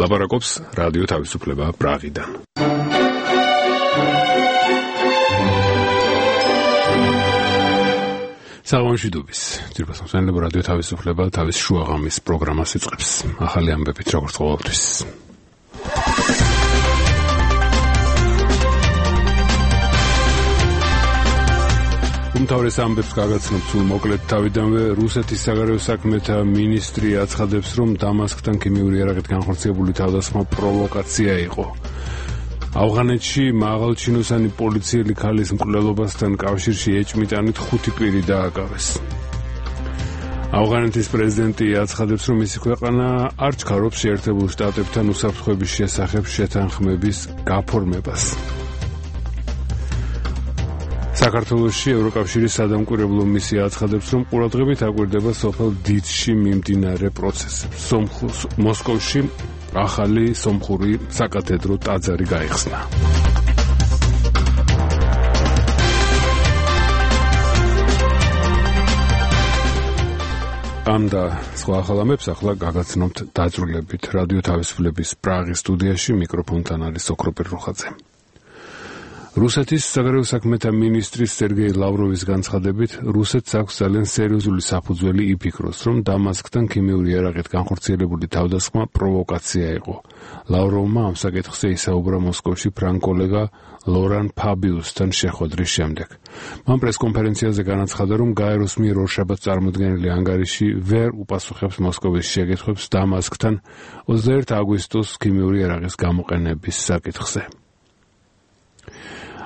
ლაპარაკობს რადიო თავისუფლება პრაღიდან. საღამოშიდობის ძირფას მოსანელებ რადიო თავისუფლება თავის შუაღამის პროგრამას იწყებს. ახალი ამბებით როგორც ყოველთვის. უმთავრეს ამბებს გაგაცნობ სულ მოკლედ თავიდანვე რუსეთის საგარეო საქმეთა მინისტრი აცხადებს, რომ დამასკთან ქიმიური იარაღით განხორციელებული თავდასხმა პროვოკაცია იყო. ავღანეთში მაღალჩინოსანი პოლიციელი ქალის მკვლელობასთან კავშირში ეჭმიტანით 5 პირი დააკავეს. ავღანეთის პრეზიდენტი აცხადებს, რომ მისი ქვეყანა არ ჩქარობს შეერთებულ შტატებთან უსაფრთხოების შესახებ შეთანხმების გაფორმებას. საქართველოში ევროკავშირის სადამკვირვებლო მისია აცხადებს, რომ ყურადღებით აკვირდება სოფელ დიცში მიმდინარე პროცესებს. მოსკოვში ახალი სომხური საკათედრო ტაძარი გაიხსნა. ამ და სხვა ახალ ამბებს ახლა გაგაცნობთ დაწვრილებით. რადიო თავისუფლების პრაღის სტუდიაში მიკროფონთან არის ოქროპერ რუხაძე. რუსეთის საგარეო საქმეთა მინისტრის სერგეი ლავროვის განცხადებით, რუსეთს აქვს ძალიან სერიოზული საფუძველი იფიქროს, რომ დამასკთან ქიმიური იარაღით განხორციელებული თავდასხმა პროვოკაცია იყო. ლავროვმა ამ საკითხზე ისაუბრა მოსკოვში ფრანგ-კოლეგა ლორან ფაბიუსთან შეხვედრის შემდეგ. მან პრესკონფერენციაზე განაცხადა, რომ გაეროს მიერ ორშაბათს წარმოდგენილი ანგარიში ვერ უპასუხებს მოსკოვის შეკითხვებს დამასკთან 21 აგვისტოს ქიმიური იარაღის გამოყენების საკითხზე.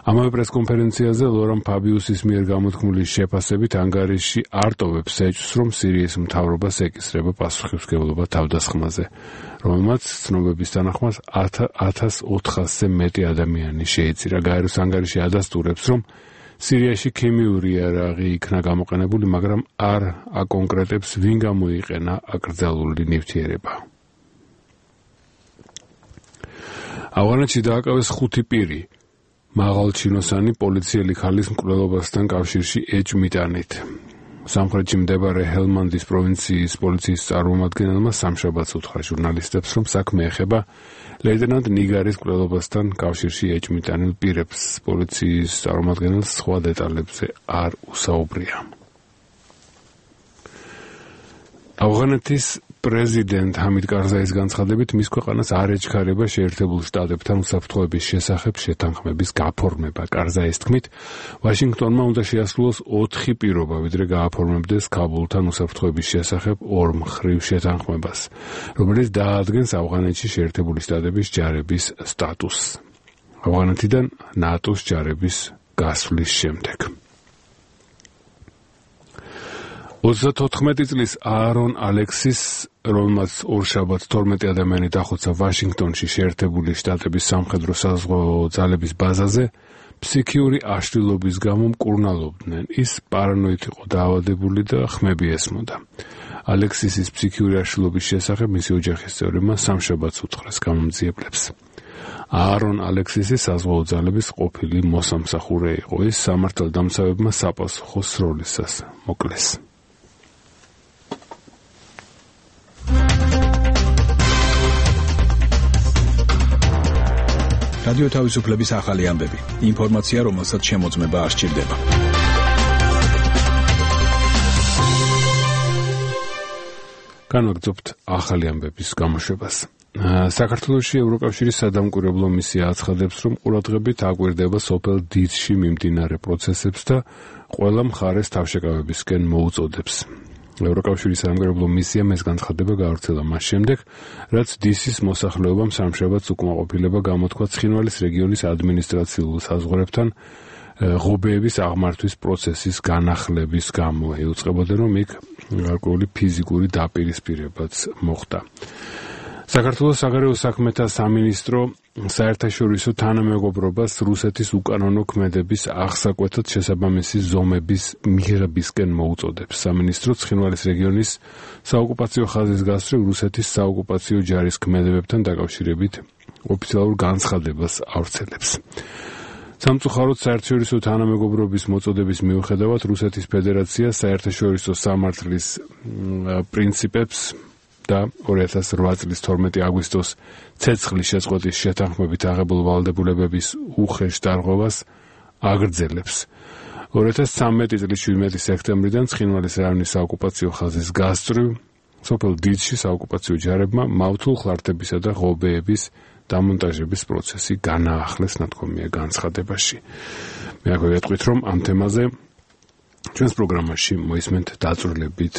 ამავე პრესკონფერენციაზე ლორან ფაბიუსის მიერ გამოთქმული შეფასებით ანგარიში არ ტოვებს ეჭვს, რომ სირიის მთავრობას ეკისრება პასუხისმგებლობა თავდასხმაზე, რომელმაც ცნობების თანახმად 1400-ზე მეტი ადამიანი შეიწირა. გაეროს ანგარიში ადასტურებს, რომ სირიაში ქიმიური იარაღი იქნა გამოყენებული, მაგრამ არ აკონკრეტებს, ვინ გამოიყენა აკრძალული ნივთიერება. ავღანეთში დააკავეს 5 პირი. მაღალჩინოსანი პოლიციელი ქალის მკვლელობასთან კავშირში ეჭმიტანით. სამხრეთში მდებარე ჰელმანდის პროვინციის პოლიციის წარმომადგენელმა სამშაბათს უთხრა ჟურნალისტებს, რომ საქმე ეხება ლეიტენანტ ნიგარის მკვლელობასთან კავშირში ეჭმიტანილ პირებს. პოლიციის წარმომადგენელს სხვა დეტალებზე არ უსაუბრია. ავღანეთის პრეზიდენტ ჰამიდ კარზაის განცხადებით, მის ქვეყანას არ ეჩქარება შეერთებულ შტატებთან უსაფრთხოების შესახებ შეთანხმების გაფორმება. კარზაის თქმით, ვაშინგტონმა უნდა შეასრულოს 4 პირობა, ვიდრე გააფორმებდეს ქაბულთან უსაფრთხოების შესახებ ორმხრივ შეთანხმებას, რომელიც დაადგენს ავღანეთში შეერთებული შტატების ჯარების სტატუსს. ავღანეთიდან ნატოს ჯარების გასვლის შემდეგ. 34 წლის აარონ ალექსის, რომელმაც ორშაბათს 12 ადამიანი დახოცა ვაშინგტონში შეერთებული შტატების სამხედრო საზღვაო ძალების ბაზაზე, ფსიქიური აშლილობის გამო მკურნალობდნენ. ის პარანოით იყო დაავადებული და ხმები ესმოდა. ალექსისის ფსიქიური აშლილობის შესახებ მისი ოჯახის წევრებმა სამშაბათს უთხრეს გამომძიებლებს. აარონ ალექსისი საზღვაო ძალების ყოფილი მოსამსახურე იყო. ის სამართალდამცავებმა საპასუხო სროლისას მოკლეს. რადიო თავისუფლების ახალი ამბები. ინფორმაცია, რომელსაც შემოწმება არ სჭირდება. განვაგრძობთ ახალი ამბების გამოშვებას. საქართველოში ევროკავშირის სადამკვირვებლო მისია აცხადებს, რომ ყურადღებით აკვირდება სოფელ დიცში მიმდინარე პროცესებს და ყველა მხარეს თავშეკავებისკენ მოუწოდებს. ევროკავშირის სადამკვირვებლო მისიამ ეს განცხადება გავრცელა მას შემდეგ, რაც დისის მოსახლეობამ სამშაბათს უკმაყოფილება გამოთქვა ცხინვალის რეგიონის ადმინისტრაციულ საზღვრებთან ღობეების აღმართვის პროცესის განახლების გამო. ეუწყებოდნენ, რომ იქ გარკვეული ფიზიკური დაპირისპირებაც მოხდა. საქართველოს საგარეო საქმეთა სამინისტრო საერთაშორისო თანამეგობრობას რუსეთის უკანონო ქმედების აღსაკვეთად შესაბამისი ზომების მიღებისკენ მოუწოდებს. სამინისტრო ცხინვალის რეგიონის საოკუპაციო ხაზის გასწვრივ რუსეთის საოკუპაციო ჯარის ქმედებებთან დაკავშირებით ოფიციალურ განცხადებას ავრცელებს. სამწუხაროდ საერთაშორისო თანამეგობრობის მოწოდების მიუხედავად რუსეთის ფედერაცია საერთაშორისო სამართლის პრინციპებს და 2008 წლის 12 აგვისტოს ცეცხლის შეწყვეტის შეთანხმებით აღებულ ვალდებულებების უხეშ დარღვევას აგრძელებს. 2013 წლის 17 სექტემბრიდან ცხინვალის რაიონის საოკუპაციო ხაზის გასწვრივ სოფელ დიდში საოკუპაციო ჯარებმა მავთულ ხლართებისა და ღობეების დამონტაჟების პროცესი განაახლეს ნათქვამია განცხადებაში. მე აქვე ვეტყვით, რომ ამ თემაზე ჩვენს პროგრამაში მოისმენთ დაწვრილებით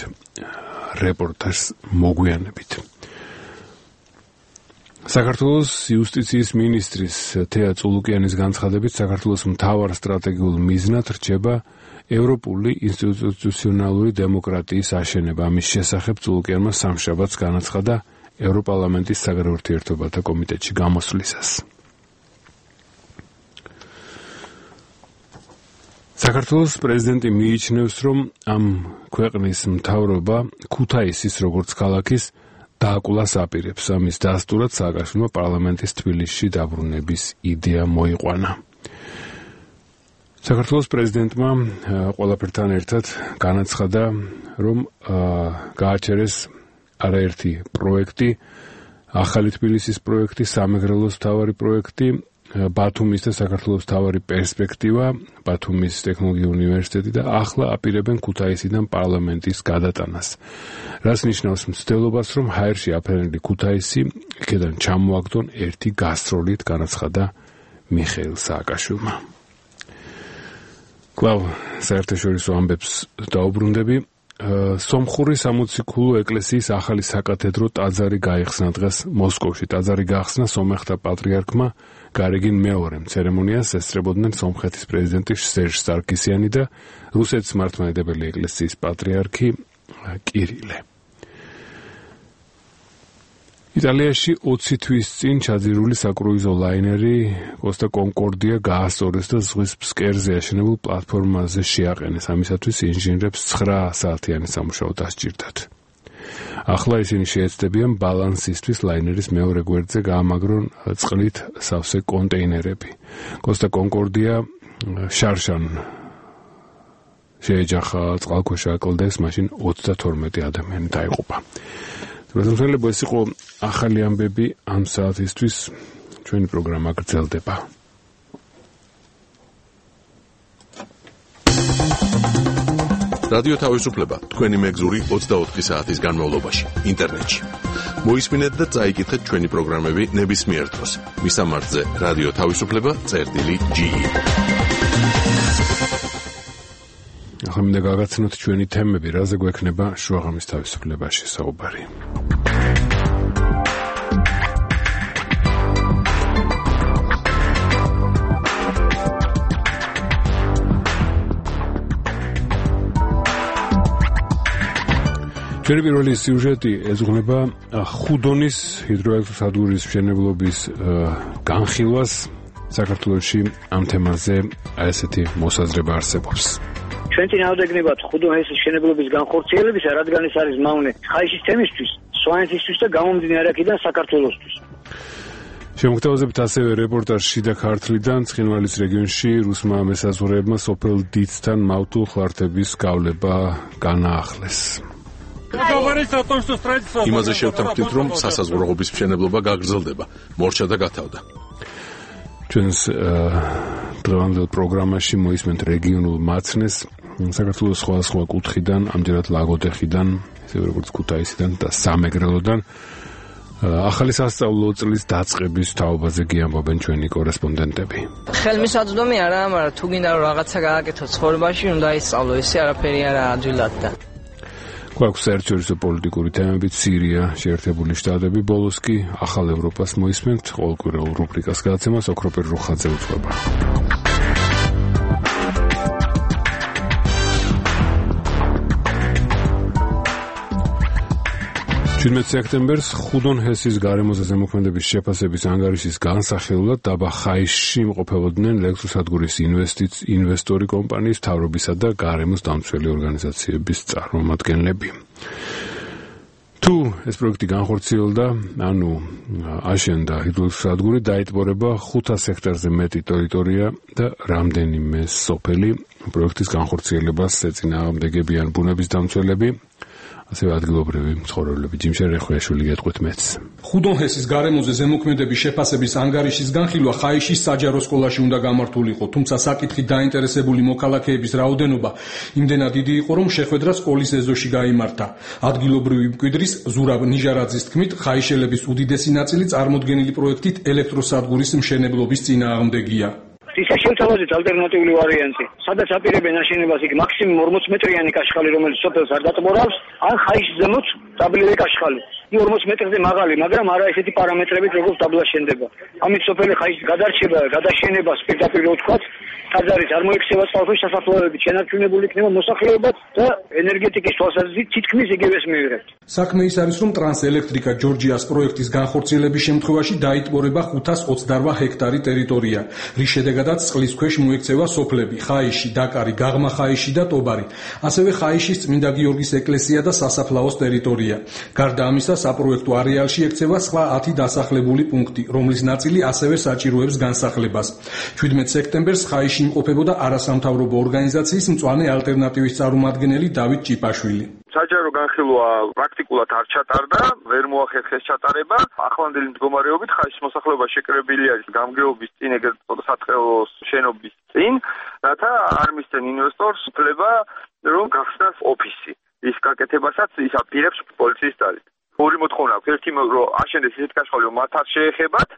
რეპორტაჟს მოგვიანებით. საქართველოს იუსტიციის მინისტრის თეა წულუკიანის განცხადებით, საქართველოს მთავარ სტრატეგიულ მიზნად რჩება ევროპული ინსტიტუციონალური დემოკრატიის აშენება. ამის შესახებ წულუკიანმა სამშაბათს განაცხადა ევროპარლამენტის საგარეო ურთიერთობათა კომიტეტში გამოსვლისას. საქართველოს პრეზიდენტი მიიჩნევს, რომ ამ ქვეყნის მთავრობა ქუთაისის როგორც ქალაქის დააკვლას აპირებს. ამის დასტურად სააკაშვილმა პარლამენტის თბილისში დაბრუნების იდეა მოიყვანა. საქართველოს პრეზიდენტმა ყველაფერთან ერთად განაცხადა, რომ გააჩერეს არაერთი პროექტი, ახალი თბილისის პროექტი, სამეგრელოს მთავარი პროექტი, ბათუმის და საქართველოს მთავარი პერსპექტივა, ბათუმის ტექნოლოგიური უნივერსიტეტი და ახლა აპირებენ ქუთაისიდან პარლამენტის გადატანას. რაც ნიშნავს მცდელობას, რომ ჰაერში აფრენილი ქუთაისი იქედან ჩამოაგდონ ერთი გასტროლით, განაცხადა მიხეილ სააკაშვილმა. კვლავ საერთაშორისო ამბებს დაუბრუნდები. სომხური სამოციქულო ეკლესიის ახალი საკათედრო ტაძარი გაიხსნა დღეს მოსკოვში. ტაძარი გახსნა სომეხთა პატრიარქმა გარეგინ მეორემ. ცერემონიას ესწრებოდნენ სომხეთის პრეზიდენტი სერჟ სარქისიანი და რუსეთის მართლმადიდებელი ეკლესიის პატრიარქი კირილე. იტალიაში 20 თვის წინ ჩაძირული საკრუიზო ლაინერი კოსტა კონკორდია გაასწორეს და ზღვის ფსკერზე აშენებულ პლატფორმაზე შეაყენეს. ამისათვის ინჟინრებს 9 საათიანი სამუშაო დასჭირდათ. ახლა ისინი შეეცდებიან ბალანსისთვის ლაინერის მეორე გვერდზე გაამაგრონ წყლით სავსე კონტეინერები. კოსტა კონკორდია შარშან შეეჯახა წყალქვეშა აკლდეს, მაშინ 32 ადამიანი დაიღუპა. რაზმწელებო, ეს იყო ახალი ამბები ამ საათისთვის. ჩვენი პროგრამა გრძელდება. რადიო თავისუფლება თქვენი მეგზური 24 საათის განმავლობაში ინტერნეტში. მოისმინეთ და წაიკითხეთ ჩვენი პროგრამები ნებისმიერ დროს. მისამართზე რადიო თავისუფლება.ge. ახლა მინდა გაგაცნოთ ჩვენი თემები, რაზე გვექნება შუაღამის თავისუფლებაში საუბარი. ჩვენი პირველი სიუჟეტი ეძღვნება ხუდონის ჰიდროელექტროსადგურის მშენებლობის განხილვას. საქართველოში ამ თემაზე ესეთი მოსაზრება არსებობს. ჩვენ წინააღმდეგნებად ხუდონის მშენებლობის განხორციელებისა, რადგან ეს არის მავნე ხაიშის თემისთვის, სვანეთისთვის და გამომდინარე აქედან საქართველოსთვის. შემოგთავაზებთ ასევე რეპორტაჟ შიდა ქართლიდან. ცხინვალის რეგიონში რუსმა მესაზღვრეებმა სოფელ დიდთან მავთულ ხლართების გავლება განაახლეს. იმაზე შევთანხმდით, რომ სასაზღვრო-ღობის მშენებლობა გაგრძელდება, მორჩა და გათავდა. ჩვენს დღევანდელ პროგრამაში მოისმენთ რეგიონულ მაცნეს საქართველოს სხვადასხვა კუთხიდან, ამჯერად ლაგოდეხიდან, ისე როგორც ქუთაისიდან და სამეგრელოდან. ახალი სასწავლო წლის დაწყების თაობაზე გიამბობენ ჩვენი კორესპონდენტები. ხელმისაწვდომი არაა, მაგრამ თუ გინდა რომ რაღაცა გააკეთო ცხოვრებაში, უნდა ისწავლო, ისე არაფერი არა ადვილად და გვაქვს საერთაშორისო პოლიტიკური თემები, სირია, შეერთებული შტატები, ბოლოს კი ახალ ევროპას მოისმენთ. ყოველკვირეულ რუბრიკას გადაცემას ოქროპერ რუხაძე უძღვება. 17 სექტემბერს ხუდონ-ჰესის გარემოზე ზემოქმედების შეფასების ანგარიშის განსახილველად დაბა ხაისში იმყოფებოდნენ ელექტროსადგურის ინვესტორი კომპანიის მთავრობისა და გარემოს დამცველი ორგანიზაციების წარმომადგენლები. თუ ეს პროექტი განხორციელდა, ანუ აშენდა ჰიდროელექტროსადგური, დაიტბორება 500 ჰექტარზე მეტი ტერიტორია და რამდენიმე სოფელი. პროექტის განხორციელებას ეწინააღმდეგებიან ბუნების დამცველები. ასევე ადგილობრივი მცხოვრებლები. ჯიმშენ რეხვიაშვილი გეტყვით მეც. ხუდონჰესის გარემოზე ზემოქმედების შეფასების ანგარიშის განხილვა ხაიშის საჯარო სკოლაში უნდა გამართულიყო, თუმცა საკითხით დაინტერესებული მოქალაქეების რაოდენობა იმდენად დიდი იყო, რომ შეხვედრა სკოლის ეზოში გაიმართა. ადგილობრივი მკვიდრის ზურაბ ნიჟარაძის თქმით, ხაიშელების უდიდესი ნაწილი წარმოდგენილი პროექტით ელექტროსადგურის მშენებლობის წინააღმდეგია. ის შეუთავაზეთ ალტერნატიული ვარიანტი, სადაც აპირებენ აშენებას იქ მაქსიმუმ 40 მეტრიანი კაშხალი, რომელიც სოფელს არ დატბორავს, ან ხაიშის ზემოთ დაბლილი კაშხალი. 40 მეტრზე მაღალი, მაგრამ არა ესეთი პარამეტრებით, როგორც დაბლა შენდება. ამით სოფელი ხაიშის გადარჩება, გადაშენებას პირდაპირ ვთქვათ, ტაძარის არ მოიქცევა წყალქვეშ სასაფლაოებით, შენარჩუნებული იქნება მოსახლეობაც და ენერგეტიკის თვალსაზრისით თითქმის იგივეს მივიღებთ. საქმე ის არის, რომ ტრანსელექტრიკა ჯორჯიას პროექტის განხორციელების შემთხვევაში დაიტბორება 528 ჰექტარი ტერიტორია, რის შედეგადაც წყლის ქვეშ მოექცევა სოფლები ხაიში, დაკარი, გაღმა ხაიში და ტობარი, ასევე ხაიშის წმინდა გიორგის ეკლესია და სასაფლაოს ტერიტორია. გარდა ამისა, საპროექტო არეალში ექცევა სხვა 10 დასახლებული პუნქტი, რომლის ნაწილი ასევე საჭიროებს განსახლებას. 17 სექტემბერს ხაიში იმყოფებოდა არასამთავრობო ორგანიზაციის მწვანე ალტერნატივის წარმომადგენელი დავით ჭიპაშვილი. საჯარო განხილვა პრაქტიკულად არ ჩატარდა, ვერ მოახერხეს ჩატარება. ახლანდელი მდგომარეობით ხაიშის მოსახლეობა შეკრებილი არის გამგეობის წინ, ეგრეთ საწყელოს შენობის წინ, რათა არ მისცენ ინვესტორს უფლება, რომ გახსნას ოფისი. ის გაკეთებასაც ის აპირებს პოლიციის ძალით. ორი მოთხოვნა აქვს, ერთი რომ აშენდეს ისეთ კაშხალი, რომ მათ არ შეეხებათ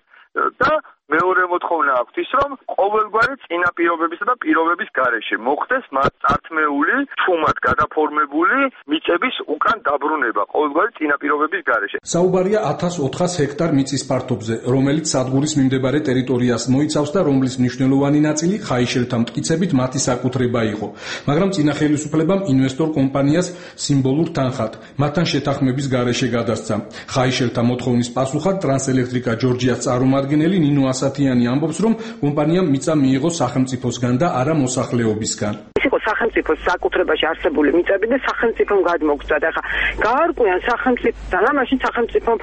და მეორე მოთხოვნა აქვს ის, რომ ყოველგვარი წინაპირობებისა და პირობების გარეშე მოხდეს მათ წართმეული, ჩუმად გადაფორმებული მიწების უკან დაბრუნება ყოველგვარი წინაპირობების გარეშე. საუბარია 1400 ჰექტარ მიწის ფართობზე, რომელიც სადგურის მიმდებარე ტერიტორიას მოიცავს და რომლის მნიშვნელოვანი ნაწილი ხაიშელთა მტკიცებით მათი საკუთრება იყო. მაგრამ წინა ხელისუფლებამ ინვესტორ კომპანიას სიმბოლურ თანხად მათთან შეთანხმების გარეშე გადასცა. ხაიშელთა მოთხოვნის პასუხად ტრანსელექტრიკა ჯორჯიას წარმომადგენელი ნინო ასათიანი ამბობს, რომ კომპანიამ მიწა მიიღო სახელმწიფოსგან და არა მოსახლეობისგან. ის იყო სახელმწიფოს საკუთრებაში არსებული მიწები და სახელმწიფომ გადმოგწვა და ხა გაარკვიან სახელმწიფოსთან, ამაში სახელმწიფომ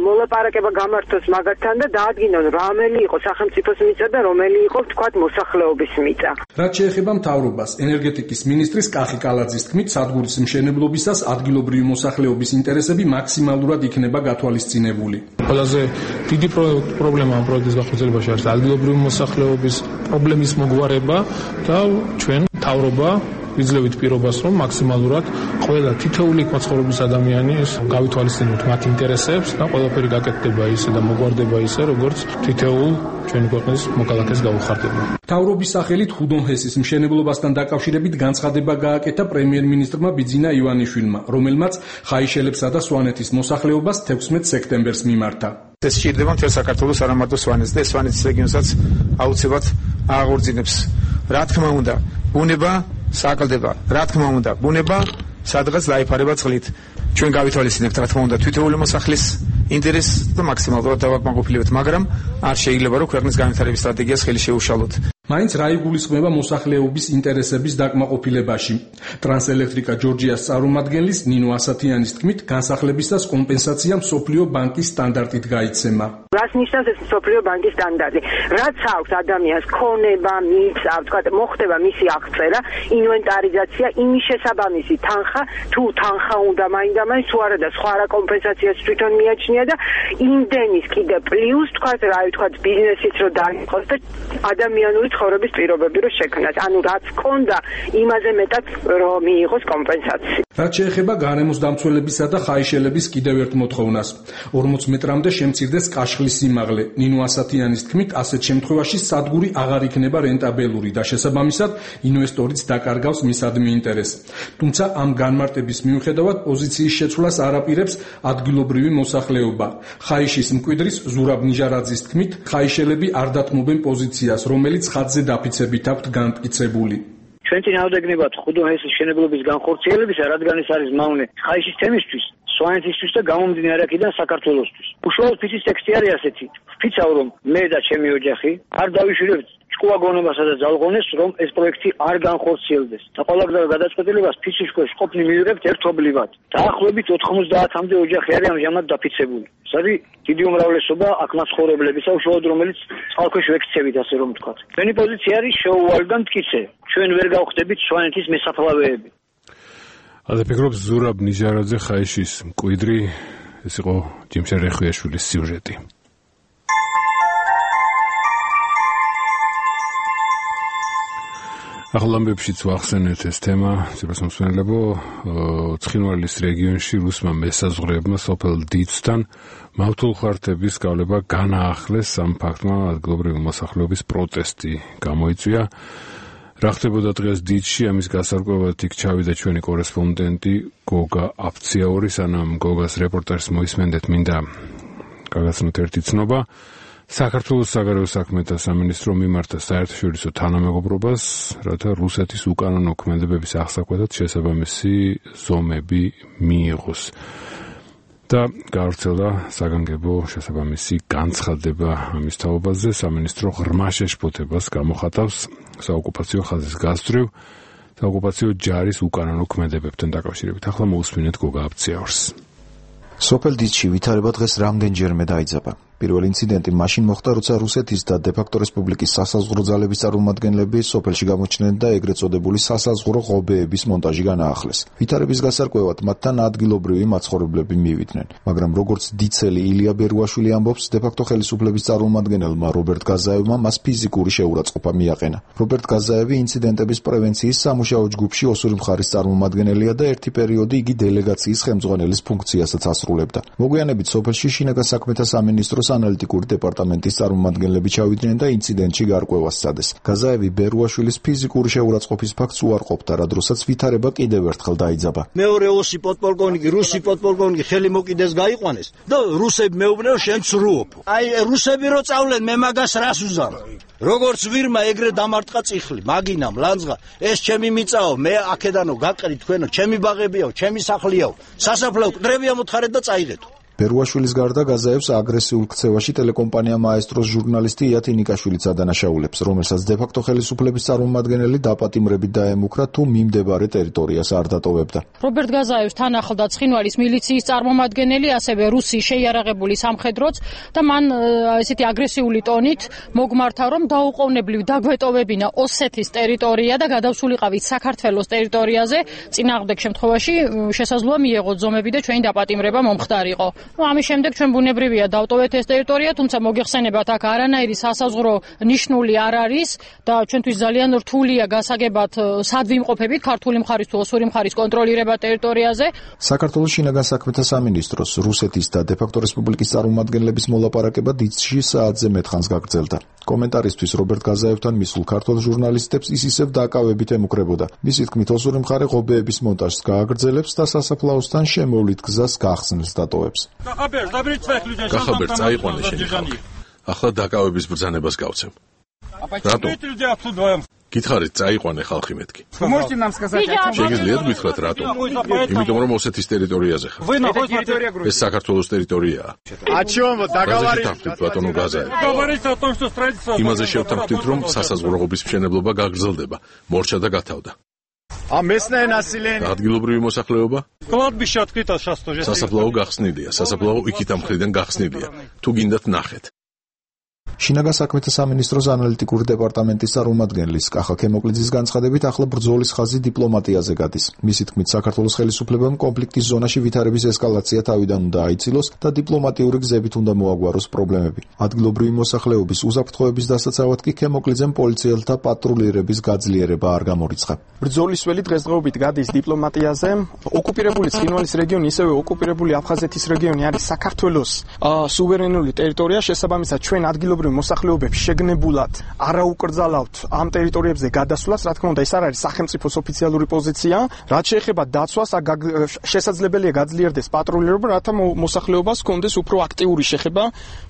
მოლაპარაკება გამართოს მაგათთან და დაადგინონ რომელი იყო სახელმწიფოს მიწა და რომელი იყო თქვათ მოსახლეობის მიწა. რაც შეეხება მთავრობას, ენერგეტიკის მინისტრის კახი კალაძის თქმით, სადგურის მშენებლობისას ადგილობრივი მოსახლეობის ინტერესები მაქსიმალურად იქნება გათვალისწინებული. ყველაზე დიდი პრობლემა ამ პროექტის განხორციელებაში არის ადგილობრივი მოსახლეობის პრობლემის მოგვარება და ჩვენ მთავრობა ვიძლევით პირობას, რომ მაქსიმალურად ყველა თითოეული მაცხოვრების ადამიანის გავითვალისწინოთ მათ ინტერესებს და ყველაფერი გაკეთდება ისე და მოგვარდება ისე, როგორც თითოეულ ჩვენი ქვეყნის მოქალაქეს გაუხარდება. მთავრობის სახელით ხუდონჰესის მშენებლობასთან დაკავშირებით განცხადება გააკეთა პრემიერ-მინისტრმა ბიძინა ივანიშვილმა, რომელმაც ხაიშელებსა და სვანეთის მოსახლეობას 16 სექტემბერს მიმართა. ეს სჭირდება მთელ საქართველოს, არა მარტო სვანეთს და სვანეთის რეგიონსაც აუცილებლად აღორძინებს. რა თქმა უნდა, ბუნება საკლდება, რა თქმა უნდა, ბუნება სადღაც დაიფარება წყლით. ჩვენ გავითვალისწინებთ, რა თქმა უნდა, თითოეული მოსახლის ინტერესს და მაქსიმალურად დავაკმაყოფილებთ, მაგრამ არ შეიძლება რომ ქვეყნის განვითარების სტრატეგიას ხელი შეუშალოთ. მაინც რა იგულისხმება მოსახლეობის ინტერესების დაკმაყოფილებაში. ტრანსელექტრიკა ჯორჯიას წარმომადგენლის ნინო ასათიანის თქმით, განსახლებისას კომპენსაცია მსოფლიო ბანკის სტანდარტით გაიცემა. რას ნიშნავს ეს მსოფლიო ბანკის სტანდარტი? რაც აქვს ადამიანს ქონება, მიწა, ვთქვათ, მოხდება მისი აღწერა, ინვენტარიზაცია, იმის შესაბამისი თანხა, თუ თანხა უნდა მაინდა-მაინც, თუ არა და სხვა რა კომპენსაციას თვითონ მიაჩნია და იმდენის კიდე პლუს, ვთქვათ, ბიზნესიც რო დაიყოს და ადამიანური ცხოვრების პირობები რო შექმნას. ანუ რაც კონდა, იმაზე მეტად რომ მიიღოს კომპენსაცია. რაც შეეხება გარემოს დამცველებისა და ხაიშელების კიდევ ერთ მოთხოვნას. 40 მეტრამდე შემცირდეს კაშხლის სიმაღლე. ნინო ასათიანის თქმით, ასეთ შემთხვევაში სადგური აღარ იქნება რენტაბელური და შესაბამისად ინვესტორიც დაკარგავს მისადმი ინტერესს. თუმცა ამ განმარტების მიუხედავად პოზიციის შეცვლას არ აპირებს ადგილობრივი მოსახლეობა. ხაიშის მკვიდრის ზურაბ ნიჟარაძის თქმით, ხაიშელები არ დათმობენ პოზიციას, რომელიც ხაზზე დაფიცებით აქვთ განმტკიცებული. ჩვენ წინააღმდეგნებად ხუდონჰესის მშენებლობის განხორციელებისა, რადგან ეს არის მავნე ხაიშის თემისთვის, სვანეთისთვის და გამომდინარე აქედან საქართველოსთვის. უშუალოდ ფიცის ტექსტი არის ასეთი: ვფიცავ, რომ მე და ჩემი ოჯახი არ დავიშვილებთ ჭკუაგონებასა და ძალღონეს, რომ ეს პროექტი არ განხორციელდეს. და ყოველგვარ გადაწყვეტილებას ფიცის ქვეშ ყოფნი მივიღებთ ერთობლივად. დაახლოებით 90-მდე ოჯახი არის ამჟამად დაფიცებული. ეს არის დიდი უმრავლესობა აქ მაცხოვრებლებისა, უშუალოდ რომელიც წყალქვეშ ვექცევით, ასე რომ ვთქვათ. ჩვენი პოზიცია არის შეუვალ და მტკიცე. ჩვენ ვერ გავხდებით სვანეთის მესაფლავეები. ასე ფიქრობს ზურაბ ნიჟარაძე ხაიშის მკვიდრი, ეს იყო ჯიმშა რეხვიაშვილის სიუჟეტი. ახალამბებშიც ვახსენეთ ეს თემა, ცირასმოსმენელებო, ცხინვალის რეგიონში რუსმა მესაზღვრეებმა სოფელ დიცთან მავთულხართების გავლება განაახლეს, ამ ფაქტმა ადგილობრივი მოსახლეობის პროტესტი გამოიწვია. რა ხდებოდა დღეს დიცში, ამის გასარკვევად იქ ჩავიდა ჩვენი კორესპონდენტი გოგა აფციაური, სანამ გოგას რეპორტაჟს მოისმენდეთ, მინდა გაგაცნოთ ერთი ცნობა. საქართველოს საგარეო საქმეთა სამინისტრო მიმართა საერთაშორისო თანამეგობრობას, რათა რუსეთის უკანონო ქმედებების აღსაკვეთად შესაბამისი ზომები მიიღოს. და გავრცელდა საგანგებო შესაბამისი განცხადება ამის თაობაზე. სამინისტრო ღრმა შეშფოთებას გამოხატავს საოკუპაციო ხაზის გასწვრივ საოკუპაციო ჯარის უკანონო ქმედებებთან დაკავშირებით. ახლა მოусმინეთ გოგა აფციაურს. სოფელ დიცში ვითარება დღეს რამდენჯერმე დაიძაბა. პირველი ინციდენტი მაშინ მოხდა, როცა რუსეთის და დე-ფაქტო რესპუბლიკის სასაზღვრო ძალების წარმომადგენლები სოფელში გამოჩნდნენ და ეგრეთ წოდებული სასაზღვრო ღობეების მონტაჟი განაახლეს. ვითარების გასარკვევად მათთან ადგილობრივი მაცხოვრებლები მივიდნენ, მაგრამ როგორც დიცელი ილია ბერუაშვილი ამბობს, დე-ფაქტო ხელისუფლების წარმომადგენელმა რობერტ გაზაევმა მას ფიზიკური შეურაცხყოფა მიაყენა. რობერტ გაზაევი ინციდენტების პრევენციის სამუშაო ჯგუფში ოსური მხარის წარმომადგენელია და ერთი პერიოდი იგი დელეგაციის ხელმძღვანელის ფუნქციასაც ასრულებდა. მოგვიანებით სოფელში შინაგან საქმეთა სამინისტროს ანალიტიკური დეპარტამენტის წარმომადგენლები ჩავიდნენ და ინციდენტში გარკვევას სცადეს. გაზაევი ბერუაშვილის ფიზიკური შეურაცხყოფის ფაქტს უარყოფდა, რა დროსაც ვითარება კიდევ ერთხელ დაიძაბა. მეორე ოსი პოდპოლკოვნიკი, რუსი პოდპოლკოვნიკი ხელი მოკიდეს გაიყვანეს და რუსები მეუბნეო შენ ცრუობ. აი რუსები რო წავლენ მე მაგას რას უზამ? როგორც ვირმა ეგრე დამარტყა წიხლი, მაგინამ ლანძღა, ეს ჩემი მიწაო, მე აქედანო გაყრი თქვენო, ჩემი ბაღებიაო, ჩემი სახლიაო, სასაფლაო კდრებია მოთხარეთ და წაიღეთო. ბერუაშვილის გარდა გაზაევს აგრესიულ ქცევაში ტელეკომპანია მაესტროს ჟურნალისტი იათი ნიკაშვილიც ადანაშაულებს, რომელსაც დე-ფაქტო ხელისუფლების წარმომადგენელი დაპატიმრებით დაემუქრა, თუ მიმდებარე ტერიტორიას არ დატოვებდა. რობერტ გაზაევს თან ახლდა ცხინვალის მილიციის წარმომადგენელი, ასევე რუსი შეიარაღებული სამხედროც და მან ესეთი აგრესიული ტონით მოგმართა, რომ დაუყოვნებლივ დაგვეტოვებინა ოსეთის ტერიტორია და გადავსულიყავით საქართველოს ტერიტორიაზე, წინააღმდეგ შემთხვევაში შესაძლოა მიეღოთ ზომები და ჩვენი დაპატიმრება მომხდარიყო. ამის შემდეგ ჩვენ ბუნებრივია დავტოვეთ ეს ტერიტორია, თუმცა მოგეხსენებათ, აქ არანაირი სასაზღვრო ნიშნული არ არის და ჩვენთვის ძალიან რთულია გასაგებად სად ვიმყოფებით ქართული მხარის თუ ოსური მხარის კონტროლირება ტერიტორიაზე. საქართველოს შინაგან საქმეთა სამინისტროს რუსეთის და დე-ფაქტო რესპუბლიკის წარმომადგენლების მოლაპარაკება დიცში საათზე მეტხანს გაგრძელდა. კომენტარისთვის რობერტ გაზაევთან მისულ ქართულ ჟურნალისტებს ის ისევ დაკავებით ემუქრებოდა. მისი თქმით, ოსური მხარე ღობეების მონტაჟს გააგრძელებს და სასაფლაოსთან შემოვლით გზას გახსნილს დატოვებს. გახაბერ წაიყვანე შენი ხალხი. ახლა დაკავების ბრძანებას გავცემ. რატო? გითხარით წაიყვანე ხალხი მეთქი. შეგიძლიათ გითხრათ რატო? იმიტომ რომ ოსეთის ტერიტორიაზე ხარ. ეს საქართველოს ტერიტორიაა. ბატონო გაზაევ. იმაზე შევთანხმდით, რომ სასაზღვრო-ღობის მშენებლობა გაგრძელდება, მორჩა და გათავდა. ადგილობრივი მოსახლეობა? სასაფლაო გახსნილია, სასაფლაო იქით ამ მხრიდან გახსნილია. თუ გინდათ ნახეთ. შინაგან საქმეთა სამინისტროს ანალიტიკური დეპარტამენტის წარმომადგენლის კახა ქემოკლიძის განცხადებით, ახლა ბრძოლის ხაზი დიპლომატიაზე გადის. მისი თქმით, საქართველოს ხელისუფლებამ კონფლიქტის ზონაში ვითარების ესკალაცია თავიდან უნდა აიცილოს და დიპლომატიური გზებით უნდა მოაგვაროს პრობლემები. ადგილობრივი მოსახლეობის უსაფრთხოების დასაცავად კი ქემოკლიძემ პოლიციელთა პატრულირების გაძლიერება არ გამორიცხა. ბრძოლის ველი დღესდღეობით გადის დიპლომატიაზე. ოკუპირებული ცხინვალის რეგიონი, ისევე ოკუპირებული აფხაზეთის რეგიონი არის საქართველოს სუვერენული ტერიტორია, შესაბამისად ჩვენ ადგილობრივი მოსახლეობებს შეგნებულად არაუკრძალავთ ამ ტერიტორიებზე გადასვლას, რა თქმა უნდა, ეს არ არის სახელმწიფოს ოფიციალური პოზიცია. რაც შეეხება დაცვას, შესაძლებელია გაძლიერდეს პატრულირება, რათა მოსახლეობას ჰქონდეს უფრო აქტიური შეხება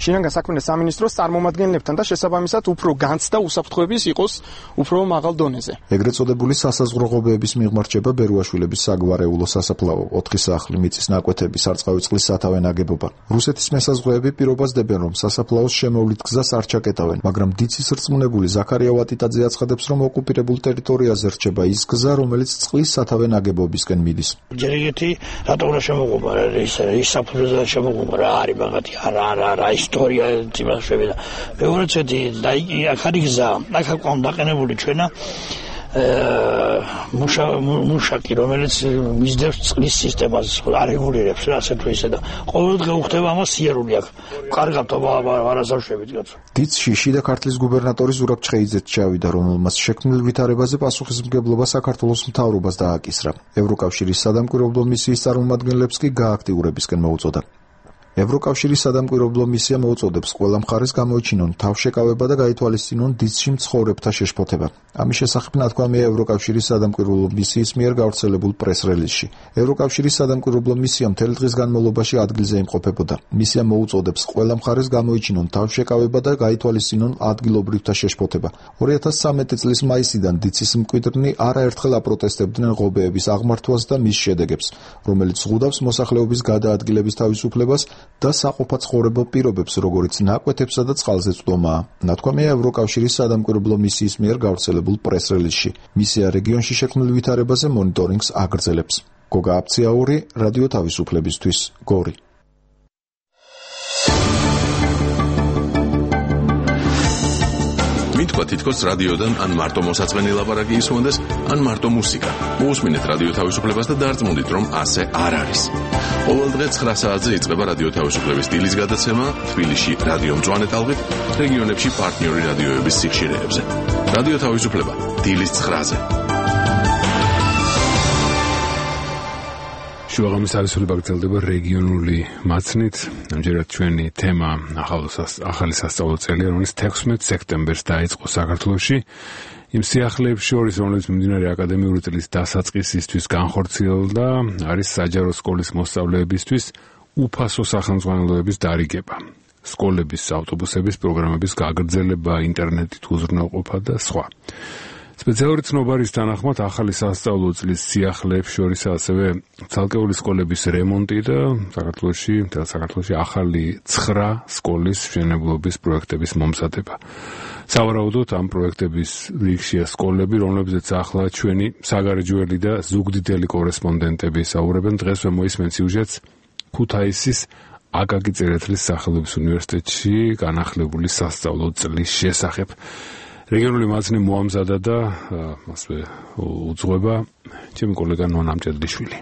შინაგან საქმეთა სამინისტროს წარმომადგენლებთან და შესაბამისად უფრო განცდა უსაფრთხოების იყოს უფრო მაღალ დონეზე. ეგრეთ წოდებული სასაზღვრო ღობეების მიღმა რჩება ბერუაშვილების საგვარეულო სასაფლაო, 4 სახლი, მიწის ნაკვეთები, სარწყავი წყლის სათავე ნაგებობა. რუსეთის მესაზღვრეები პირობას დებენ, რომ სასაფლაოს შემოვლით გზას არ ჩაკეტავენ, მაგრამ დიცის რწმუნებული ზაქარია ვატიტაძე აცხადებს, რომ ოკუპირებულ ტერიტორიაზე რჩება ის გზა, რომელიც წყლის სათავე ნაგებობისკენ მიდის. ჯერ ეგეთი რატომ რა შემოგვობა ის საფუძველზე შემოგვობა რა არის მაგათი არა ისტორია იმას შევიდა. მეორე წეთი და აქ არის გზა, აქ აკვამ დაყენებული ჩვენა მუშაკი, რომელიც მისდევს წყლის სისტემას, არეგულირებს რა ასე თუ ისე და ყოველდღე უხდება ამას სიარული აქვს. კარგად არასავშებით კაცო. დიცში შიდა ქართლის გუბერნატორი ზურაბ ჩხეიძეც ჩავიდა, რომელმაც შექმნილ ვითარებაზე პასუხისმგებლობა საქართველოს მთავრობას დააკისრა. ევროკავშირის სადამკვირვებლო მისიის წარმომადგენლებს კი გააქტიურებისკენ მოუწოდა. ევროკავშირის სადამკვირვებლო მისია მოუწოდებს ყველა მხარეს გამოიჩინონ თავშეკავება და გაითვალისწინონ დიცში მცხოვრებთა შეშფოთება. ამის შესახებ ნათქვამია ევროკავშირის სადამკვირვებლო მისიის მიერ გავრცელებულ პრეს-რელიზში. ევროკავშირის სადამკვირვებლო მისია მთელი დღის განმავლობაში ადგილზე იმყოფებოდა. მისია მოუწოდებს ყველა მხარეს გამოიჩინონ თავშეკავება და გაითვალისწინონ ადგილობრივთა შეშფოთება. 2013 წლის მაისიდან დიცის მკვიდრნი არაერთხელ აპროტესტებდნენ ღობეების აღმართვას და მის შედეგებს, რომელიც ზღუდავს მოსახლეობის გადაადგილების თავისუფლებას და საყოფაცხოვრებო პირობებს, როგორც ნაკვეთებსა და წყალზე წვდომაა. ნათქვამია ევროკავშირის სადამკვირვებლო მისიის მიერ გავრცელებულ პრეს-რელიზში. მისია რეგიონში შექმნილ ვითარებაზე მონიტორინგს აგრძელებს. გოგა აფციაური, რადიო თავისუფლებისთვის, გორი. მითქვა თითქოს რადიოდან ან მარტო მოსაწყენი ლაპარაკი ისმონდეს, ან მარტო მუსიკა. მოусმინეთ რადიო თავისუფლებას და დარწმუნდით, რომ ასე არ არის. ყოველ დღე 9 საათზე იწყება რადიო თავისუფლების დილის გადაცემა თბილისში რადიო მწვანე ტალღით, რეგიონებში პარტნიორი რადიოების სიხშირეებზე. რადიო თავისუფლება დილის 9-ზე. შუაღამის არისული გრძელდება რეგიონული მაცნით. ამჯერად ჩვენი თემა ახალი სასწავლო წელი, რომელიც 16 სექტემბერს დაიწყო საქართველოში. იმ სიახლეებში შორის, რომელიც მიმდინარე აკადემიური წლის დასაწყისისთვის განხორციელდა, არის საჯარო სკოლის მოსწავლეებისთვის უფასო სახელმძღვანელოების დარიგება, სკოლების ავტობუსების პროგრამების გაგრძელება, ინტერნეტით უზრუნველყოფა და სხვა. სპეციალური ცნობარის თანახმად ახალი სასწავლო წლის სიახლეებში შორის ასევე ცალკეული სკოლების რემონტი და საქართველოში ახალი 9 სკოლის მშენებლობის პროექტების მომზადება. სავარაუდოდ ამ პროექტების რიგშია სკოლები, რომლებზეც ახლა ჩვენი საგარეჯოელი და ზუგდიდელი კორესპონდენტები საუბრობენ. დღესვე მოისმენთ სიუჟეტს ქუთაისის აკაკი წერეთლის სახელობის უნივერსიტეტში განახლებული სასწავლო წლის შესახებ. რეგიონული მაცნი მოამზადა და ასე უძღვება ჩემი კოლეგა ნონა მჭედლიშვილი.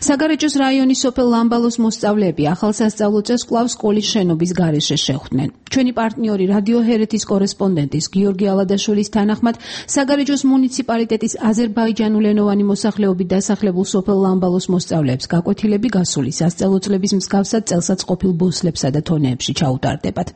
საგარეჯოს რაიონის სოფელ ლამბალოს მოსწავლეები ახალ სასწავლო წელს კვლავ სკოლის შენობის გარეშე შეხვდნენ. ჩვენი პარტნიორი რადიო ჰერეთის კორესპონდენტის გიორგი ალადაშვილის თანახმად, საგარეჯოს მუნიციპალიტეტის აზერბაიჯანულენოვანი მოსახლეობით დასახლებულ სოფელ ლამბალოს მოსწავლეებს გაკვეთილები გასული სასწავლო წლების მსგავსად წელსაც ყოფილ ბოსლებსა და თონეებში ჩაუტარდებათ.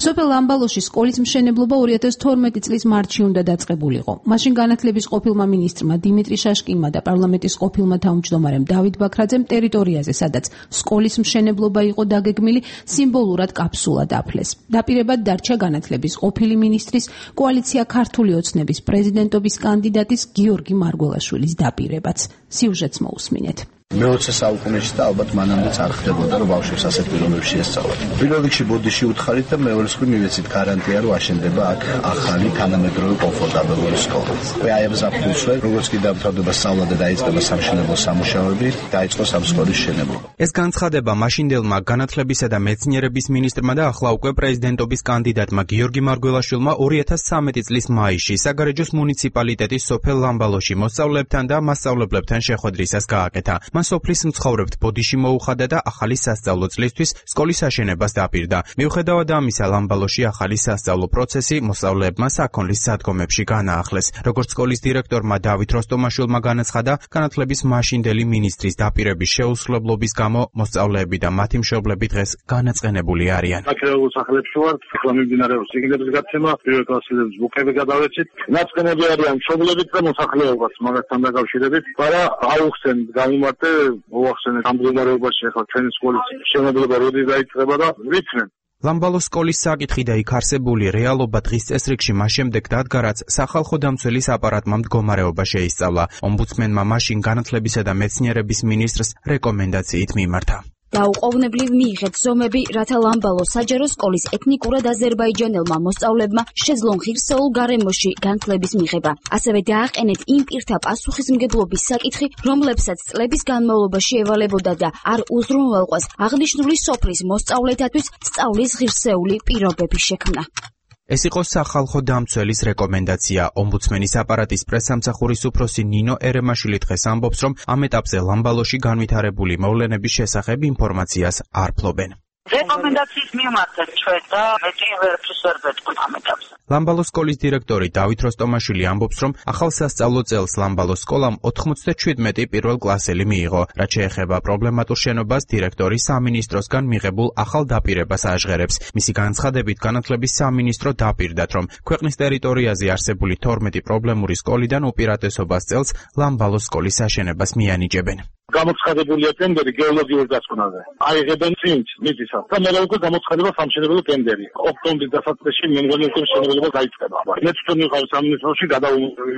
სოფელ ლამბალოში სკოლის მშენებლობა 2012 წლის მარტში უნდა დაწყებულიყო. მაშინ განათლების ყოფილმა მინისტრმა დიმიტრი შაშკინმა და პარლამენტის ყოფილმა თავმჯდომარემ დავით ბაქრაძემ ტერიტორიაზე, სადაც სკოლის მშენებლობა იყო დაგეგმილი, სიმბოლურად კაფსულა დაფლეს. დაპირებად დარჩა განათლების ყოფილი მინისტრის, კოალიცია ქართული ოცნების პრეზიდენტობის კანდიდატის გიორგი მარგველაშვილის დაპირებაც. სიუჟეტს მოусმინეთ. მე-20 საუკუნეში და ალბათ მანამდეც არ ხდებოდა, რომ ბავშვებს ასეთ პირობებში ესწავლათ. პირველ რიგში ბოდიში უთხარით და მეორე რიგში მივეცით გარანტია, რომ აშენდება აქ ახალი თანამედროვე კომფორტაბელური სკოლა. აი ამ ზაფხულზე, როგორც კი დამთავრდება სწავლა და დაიწყება სამშენებლო სამუშაოები, დაიწყო ამ სკოლის მშენებლობა. ეს განცხადება მაშინდელმა განათლებისა და მეცნიერების მინისტრმა და ახლა უკვე პრეზიდენტობის კანდიდატმა გიორგი მარგველაშვილმა 2013 წლის მაისში საგარეჯოს მუნიციპალიტეტის სოფელ ლამბალოში მოსწავლეებთან და მასწავლებლებთან შეხვედრისას გააკეთა. მან სოფლის მცხოვრებთ ბოდიში მოუხადა და ახალი სასწავლო წლისთვის სკოლის აშენებას დაპირდა. მიუხედავად ამისა, ლამბალოში ახალი სასწავლო პროცესი მოსწავლეებმა საქონლის სადგომებში განაახლეს. როგორც სკოლის დირექტორმა დავით როსტომაშვილმა განაცხადა, განათლების მაშინდელი მინისტრის დაპირების შეუსრულებლობის გამო მოსწავლეები და მათი მშობლები დღეს განაწყენებული არიან. აქედან სახლებში ვართ, ახლა მიმდინარეობს სიგნების გაცემა, პირველ კლასელებს ბუქები გადავეცით. ნაწყენები არიან მშობლებით და მოსახლეობაც მაგასთან დაკავშირებით, მაგრამ აუხსენ გამიმართ მოახსენეთ ამ მდგომარეობაში ახლა ჩვენი სკოლის მშენებლობა როდი დაიწყება და ვიცნენ. ლამბალოს სკოლის საკითხი და იქ არსებული რეალობა დღის წესრიგში მას შემდეგ დადგა, რაც სახალხო დამცველის აპარატმა მდგომარეობა შეისწავლა. ომბუდსმენმა მაშინ განათლებისა და მეცნიერების მინისტრს რეკომენდაციით მიმართა. დაუყოვნებლივ მიიღეთ ზომები, რათა ლამბალოს საჯარო სკოლის ეთნიკურად აზერბაიჯანელმა მოსწავლეებმა შეძლონ ღირსეულ გარემოში განათლების მიღება. ასევე დააყენეთ იმ პირთა პასუხისმგებლობის საკითხი, რომლებსაც წლების განმავლობაში ევალებოდა და არ უზრუნველყვას აღნიშნული სოფლის მოსწავლეთათვის სწავლის ღირსეული პირობების შექმნა. ეს იყო სახალხო დამცველის რეკომენდაცია. ომბუდსმენის აპარატის პრესსამსახურის უფროსი ნინო ერემაშვილი დღეს ამბობს, რომ ამ ეტაპზე ლამბალოში განვითარებული მოვლენების შესახებ ინფორმაციას არ ფლობენ. რეკომენდაციის მიმართეთ ჩვენ და მეტი ვერაფერს ვერ ვეთქვით ამ ეტაპზე. ლამბალოს სკოლის დირექტორი დავით როსტომაშვილი ამბობს, რომ ახალ სასწავლო წელს ლამბალოს სკოლამ 97 პირველ კლასელი მიიღო. რაც შეეხება პრობლემატურ შენობას, დირექტორი სამინისტროსგან მიღებულ ახალ დაპირებას აჟღერებს. მისი განცხადებით, განათლების სამინისტრო დაპირდათ, რომ ქვეყნის ტერიტორიაზე არსებული 12 პრობლემური სკოლიდან უპირატესობას წელს ლამბალოს სკოლის აშენებას მიანიჭებენ. გამოცხადებულია ტენდერი გეოლოგიურ დასკვნაზე. აიღებენ წინც მიწისას და მე უკვე გამოცხადება სამშენებლო ტენდერი. ოქტომბრის დასაწყისში მე მგონი უკვე მშენებლობა დაიწყება. მე თვითონ ვიყავ სამინისტროში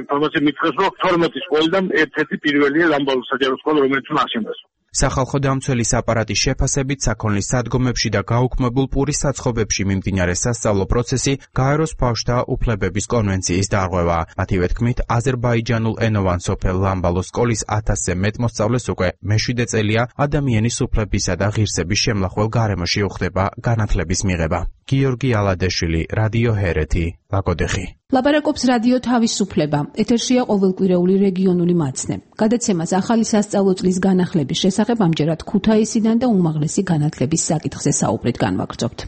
ინფორმაცია მითხრეს, რომ 12 სკოლიდან ერთ-ერთი პირველია ლამბალოს საჯარო სკოლა, რომელიც აშენდეს. სახალხო დამცველის აპარატის შეფასებით საქონლის სადგომებში და გაუქმებულ პურის საცხობებში მიმდინარე სასწავლო პროცესი გაეროს ბავშვთა უფლებების კონვენციის დარღვევაა. მათივე თქმით, აზერბაიჯანულ ენოვან სოფელ ლამბალოს სკოლის 1000-ზე მეტ მოსწავლეს უკვე მე-7 წელია ადამიანის უფლებისა და ღირსების შემლახველ გარემოში უხდება განათლების მიღება. გიორგი ალადეშვილი, რადიო ჰერეთი, ლაგოდეხი. ლაპარაკობს რადიო თავისუფლება. ეთერშია ყოველკვირეული რეგიონული მაცნე. გადაცემას ახალი სასწავლო წლის განახლების შესახებ ამჯერად ქუთაისიდან და უმაღლესი განათლების საკითხზე საუბრით განვაგრძობთ.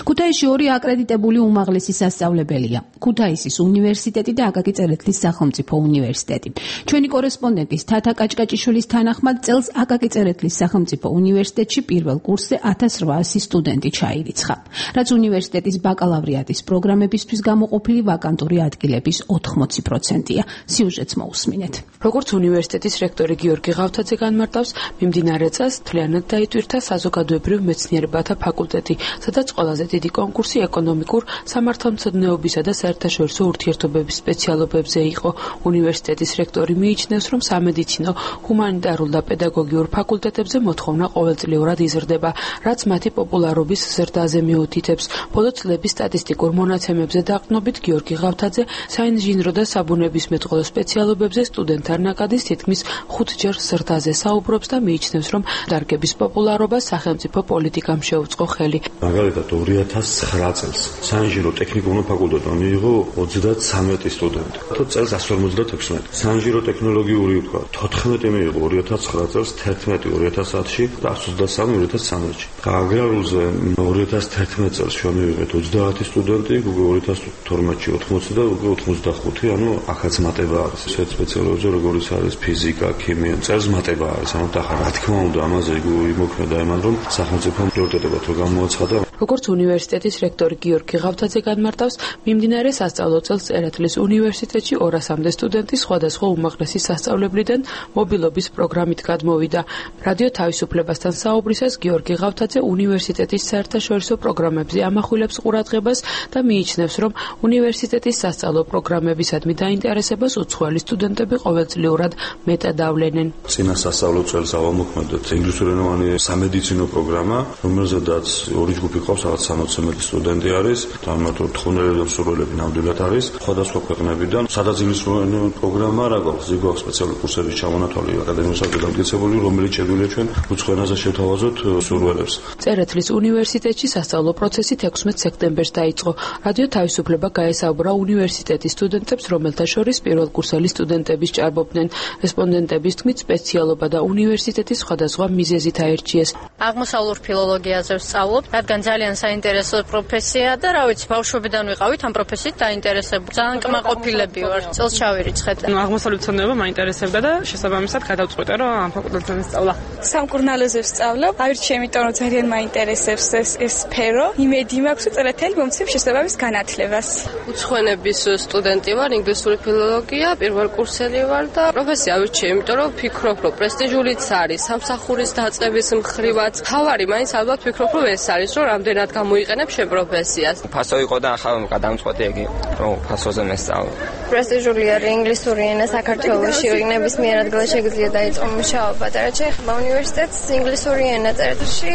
ქუთაისში 2 აკრედიტებული უმაღლესი სასწავლებელია. ქუთაისის უნივერსიტეტი და აკაკი წერეთლის სახელმწიფო უნივერსიტეტი. ჩვენი კორესპონდენტის თათა კაჭკაჭიშვილის თანახმად წელს აკაკი წერეთლის სახელმწიფო უნივერსიტეტში პირველ კურსზე 1800 სტუდენტი ჩაირიცხა, რაც უნივერსიტეტის ბაკალავრიატის პროგრამებისთვის გამოყოფილი ვაკანტური ადგილების 80%-ია. სიუჟეტს მოусმინეთ. როგორც უნივერსიტეტის რექტორი გიორგი ღავთაძე განმარტავს, მიმდინარე წელს მთლიანად დაიტვირთა საზოგადოებრივ მეცნიერებათა ფაკულტეტი, სადაც ყველაზე დიდი კონკურსი ეკონომიკურ, სამართალმცოდნეობისა და საერთაშორისო ურთიერთობების სპეციალობებზე იყო. უნივერსიტეტის რექტორი მიიჩნევს, რომ სამედიცინო, ჰუმანიტარულ და პედაგოგიურ ფაკულტეტებზე მოთხოვნა ყოველწლიურად იზრდება, რაც მათი პოპულარობის ზრდაზე მიუთითებს. ბოლო წლების სტატისტიკურ მონაცემებზე დაყრდნობით გიორგი ღავთაძე საინჟინრო და საბუნებისმეტყველო სპეციალობებზე სტუდენტთა ნაკადის თითქმის 5-ჯერ ზრდაზე საუბრობს და მიიჩნევს, რომ დარგების პოპულარობას სახელმწიფო პოლიტიკამ შეუწყო ხელი. მაგალითად 2009 წელს საინჟინრო ტექნიკუმურ ფაკულტეტმა მიიღო 33 სტუდენტი. თუ წელს 156. საინჟინრო ტექნოლოგიური ვთქვა 14 მიიღო 2009 წელს, 11 2010-ში და 123 2013-ში. აგრარულზე 2011 წელს შემივიღეთ 30 სტუდენტი, უკვე 2012-ში 80 და უკვე 85, ანუ ახაც მატება არის. ეს სპეციალობებზე როგორიც არის ფიზიკა, ქიმია, წელს მატება არის. ანუ და რა თქმა უნდა ამაზე იმოქმედა იმან, რომ სახელმწიფო პრიორიტეტებად რო გამოაცხადა. როგორც უნივერსიტეტის რექტორი გიორგი ღავთაძე განმარტავს, მიმდინარე სასწავლო წელს წერეთლის უნივერსიტეტში 200-მდე სტუდენტი სხვადასხვა უმაღლესი სასწავლებლიდან მობილობის პროგრამით გადმოვიდა. რადიო თავისუფლებასთან საუბრისას გიორგი ღავთაძე უნივერსიტეტის საერთაშორისო პროგრამებზე ამახვილებს ყურადღებას და მიიჩნევს, რომ უნივერსიტეტის სასწავლო პროგრამებისადმი დაინტერესებას უცხოელი სტუდენტები ყოველწლიურად მეტად ავლენენ. წინა სასწავლო წელს ავამოქმედოთ ინგლისურენოვანი სამედიცინო პროგრამა, რომელზედაც ორი ჯგუფი ყავს, რაღაც 60 სტუდენტი არის, თამათო თხოვნელები და მსურველები ნამდვილად არის, სხვადასხვა ქვეყნებიდან. სადაც ინგლისურენოვანი პროგრამა რა გვაქვს, ზოგადად სპეციალური კურსების ჩამონათვალი აკადემიურად დამტკიცებული, რომელიც შეგვიძლია ჩვენ უცხო ენაზე შევთავაზოთ მსურველებს. წერეთლის უნივერსიტეტში სასწავლო პროცესი 16 სექტემბერს დაიწყო. რადიო თავისუფლება გაესაუბრა უნივერსიტეტის სტუდენტებს, რომელთა შორის პირველკურსელი სტუდენტების ჭარბობდნენ. რესპონდენტების თქმით, სპეციალობა და უნივერსიტეტის სხვადასხვა მიზეზით აერჩიეს. აღმოსავლურ ფილოლოგიაზე ვსწავლობ, რადგან ძალიან საინტერესო პროფესია და რა ვიცი, ბავშვობიდან ვიყავით ამ პროფესიით დაინტერესებული. ძალიან კმაყოფილები ვარ. წელს ჩავირიცხეთ. აღმოსავლური ცოდნეობა მაინტერესებდა და შესაბამისად გადავწყვიტე, რომ ამ ფაკულტეტზე ვსწავლა. სამკურნალოზე ვსწავლობ. ავირჩიე, იმიტომ რომ ძალიან მაინტერესებს ეს სფერო. იმედი მაქვს, რომ წერეთელი მომცემ შესაბამის განათლებას. უცხოენების სტუდენტი ვარ, ინგლისური ფილოლოგია, პირველკურსელი ვარ და პროფესია ავირჩიე, იმიტომ რომ ვფიქრობ, რომ პრესტიჟულიც არის, სამსახურის დაწყების მხრივაც. თავარი მაინც ალბათ ვფიქრობ, რომ ეს არის, რომ რამდენად გამოიყენებ შენ პროფესიას. ფასო იყო და ახლა გადამწყვეტი იგი, რომ ფასოზე მესწავლო. პრესტიჟული არის ინგლისური ენა საქართველოში, ნებისმიერ ადგილას შეგიძლია დაიწყო მუშაობა და რაც შეეხება უნივერსიტეტს, ინგლისური ენა წერტილში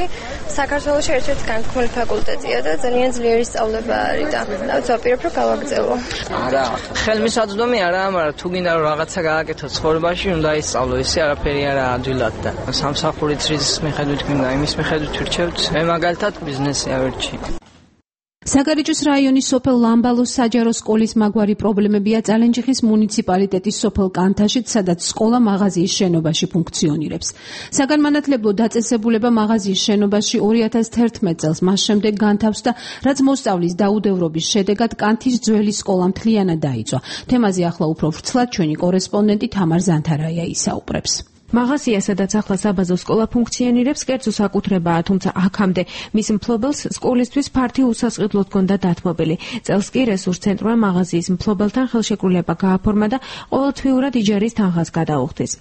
საქართველოში ერთ-ერთი განთქმული ფაკულტეტია და ძალიან ძლიერი სწავლება არის და ვაპირებ რომ გავაგრძელო. არა, ხელმისაწვდომი არა, მაგრამ თუ გინდა რომ რაღაცა გააკეთო ცხოვრებაში, უნდა ისწავლო, ისე არაფერი არა ადვილად და სამსახურით რის მიხედვით გინდა, იმის მიხედვით ვირჩევთ. მე მაგალითად ბიზნესი ავირჩი. საგარეჯოს რაიონის სოფელ ლამბალოს საჯარო სკოლის მაგვარი პრობლემებია წალენჯიხის მუნიციპალიტეტის სოფელ კანთაშიც, სადაც სკოლა მაღაზიის შენობაში ფუნქციონირებს. საგანმანათლებლო დაწესებულება მაღაზიის შენობაში 2011 წელს მას შემდეგ განთავსდა, რაც მოსწავლის დაუდევრობის შედეგად კანთის ძველი სკოლა მთლიანად დაიწვა. თემაზე ახლა უფრო ვრცლად ჩვენი კორესპონდენტი თამარ ზანთარაია ისაუბრებს. მაღაზია, სადაც ახლა საბაზო სკოლა ფუნქციონირებს, კერძო საკუთრებაა, თუმცა აქამდე მის მფლობელს სკოლისთვის ფართი უსასყიდლოდ ჰქონდა დათმობილი. წელს კი რესურს ცენტრმა მაღაზიის მფლობელთან ხელშეკრულება გააფორმა და ყოველთვიურად იჯარის თანხას გადაუხდის.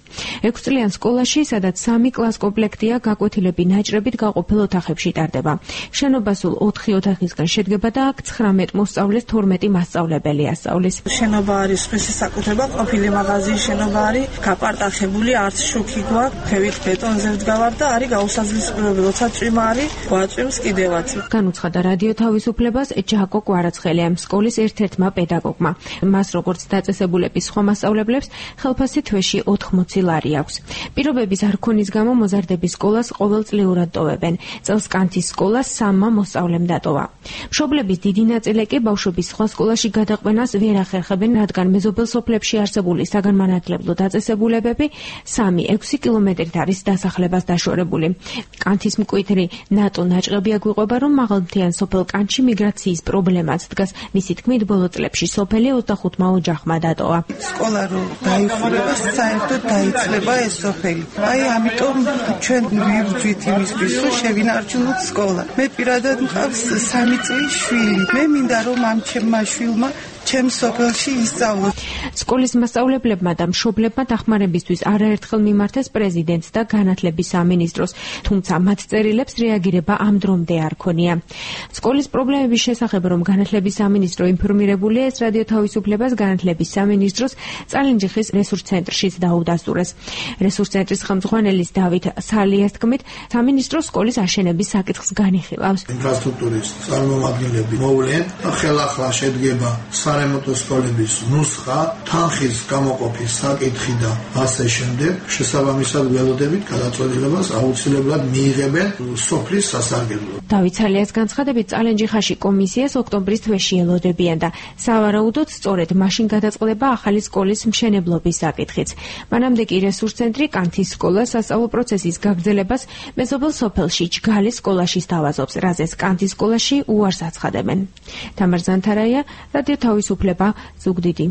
6 წლიან სკოლაში, სადაც 3 კლას კომპლექტია, გაკვეთილები ნაჭრებით გაყოფილ ოთახებში ტარდება. შენობა სულ 4 ოთახისგან შედგება და აქ 19 მოსწავლეს 12 მასწავლებელი ასწავლის. შენობა არის სხვისი საკუთრება, ყოფილი მაღაზიის შენობა არის გაპარტახებული, არც კი გვაქვს, ფევით ბეტონზე ვდგავარ და არის გაუსაძლისპიროები, როცა წვიმა არის, გვაწვიმს კიდევაც. განუცხადა რადიო თავისუფლებას ჯაკო კვარაცხელია, სკოლის ერთ-ერთმა პედაგოგმა. მას როგორც დაწესებულების სხვა მასწავლებლებს, ხელფასი თვეში 80 ლარი აქვს. პირობების არ ქონის გამო მოზარდების სკოლას ყოველწლიურად ტოვებენ. წელს კანთის სკოლას 3 მოსწავლემ დატოვა. მშობლების დიდი ნაწილი კი ბავშვების სხვა სკოლაში გადაყვანას ვერ ახერხებენ, რადგან მეზობელ სოფლებში არსებული საგანმანათლებლო დაწესებულებები 3-6 კილომეტრით არის დასახლებას დაშორებული. კანთის მკვიდრი ნატო ნაჭყებია გვიყვება, რომ მაღალმთიან სოფელ კანთში მიგრაციის პრობლემაც დგას. მისი თქმით, ბოლო წლებში სოფელი 25-მა ოჯახმა დატოვა. სკოლა რომ დაიხურება, საერთოდ დაიცლება ეს სოფელი. აი, ამიტომ ჩვენ ვიბრძვით იმისთვის, რომ შევინარჩუნოთ სკოლა. მე პირადად მყავს 3 წლის შვილი. მე მინდა რომ ამ ჩემმა შვილმა ჩემ სოფელში ისწავლოს. სკოლის მასწავლებლებმა და მშობლებმა დახმარებისთვის არაერთხელ მიმართეს პრეზიდენტს და განათლების სამინისტროს, თუმცა მათ წერილებს რეაგირება ამ დრომდე არ ქონია. სკოლის პრობლემების შესახებ, რომ განათლების სამინისტრო ინფორმირებულია, ეს რადიო თავისუფლებას განათლების სამინისტროს წალენჯიხის რესურს ცენტრშიც დაუდასტურეს. რესურს ცენტრის ხელმძღვანელის დავით სალიას თქმით, სამინისტრო სკოლის აშენების საკითხს განიხილავს. ინფრასტრუქტურის წარმომადგენლები მოვლენ, ხელახლა შედგება სარემონტო სკოლების ნუსხა, თანხის გამოყოფის საკითხი და ასე შემდეგ. შესაბამისად ველოდებით გადაწყვეტილებას აუცილებლად მიიღებენ სოფლის სასარგებლოდ. დავით სალიას განცხადებით, წალენჯიხაში კომისიას ოქტომბრის თვეში ელოდებიან და სავარაუდოდ სწორედ მაშინ გადაწყდება ახალი სკოლის მშენებლობის საკითხიც. მანამდე კი რესურს ცენტრი კანთის სკოლას სასწავლო პროცესის გაგრძელებას მეზობელ სოფელში ჯგალის სკოლაში სთავაზობს, რაზეც კანთის სკოლაში უარს აცხადებენ. თამარ ზანთარაია, რადიო თავისუფლება, ზუგდიდი.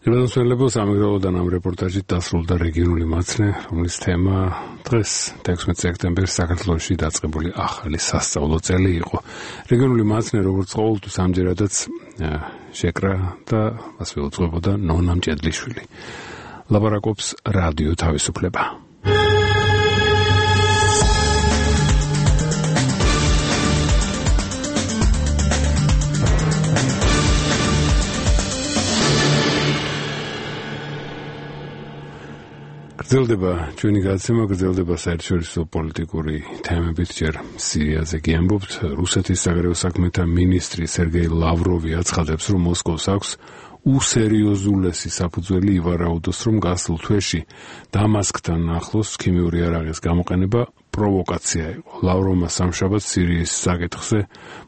ელოდოსველებო სამეგრელოდან ამ რეპორტაჟით დასრულდა რეგიონული მაცნე, რომლის თემა დღეს 16 სექტემბერს საქართველოში დაწყებული ახალი სასწავლო წელი იყო. რეგიონული მაცნე როგორც ყოველთვის ამჯერადაც შეკრა და ასე უძღვებოდა ნონა მჭედლიშვილი. ლაბარაკობს რადიო თავისუფლება. გრძელდება ჩვენი გადაცემა, გრძელდება საერთაშორისო პოლიტიკური თემებით. ჯერ სირიაზე კი ამბობთ. რუსეთის საგარეო საქმეთა მინისტრი სერგეი ლავროვი აცხადებს, რომ მოსკოვს აქვს უსერიოზულესი საფუძველი ივარაუდოს, რომ გასულ თვეში დამასკთან ახლოს ქიმიური იარაღის გამოყენება პროვოკაცია იყო. ლავროვმა სამშაბათს სირიის საკითხზე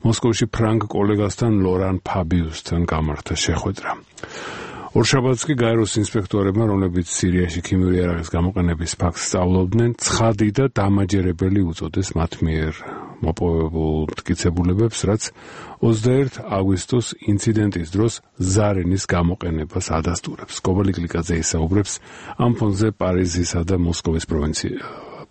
მოსკოვში ფრანგ კოლეგასთან ლორან ფაბიუსთან გამართა შეხვედრა. ორშაბათს კი გაეროს ინსპექტორებმა, რომლებიც სირიაში ქიმიური იარაღის გამოყენების ფაქტს სწავლობდნენ, ცხადი და დამაჯერებელი უწოდეს მათ მიერ მოპოვებულ მტკიცებულებებს, რაც 21 აგვისტოს ინციდენტის დროს ზარენის გამოყენებას ადასტურებს. კობალი კლიკაძე ისაუბრებს ამ ფონზე პარიზისა და მოსკოვის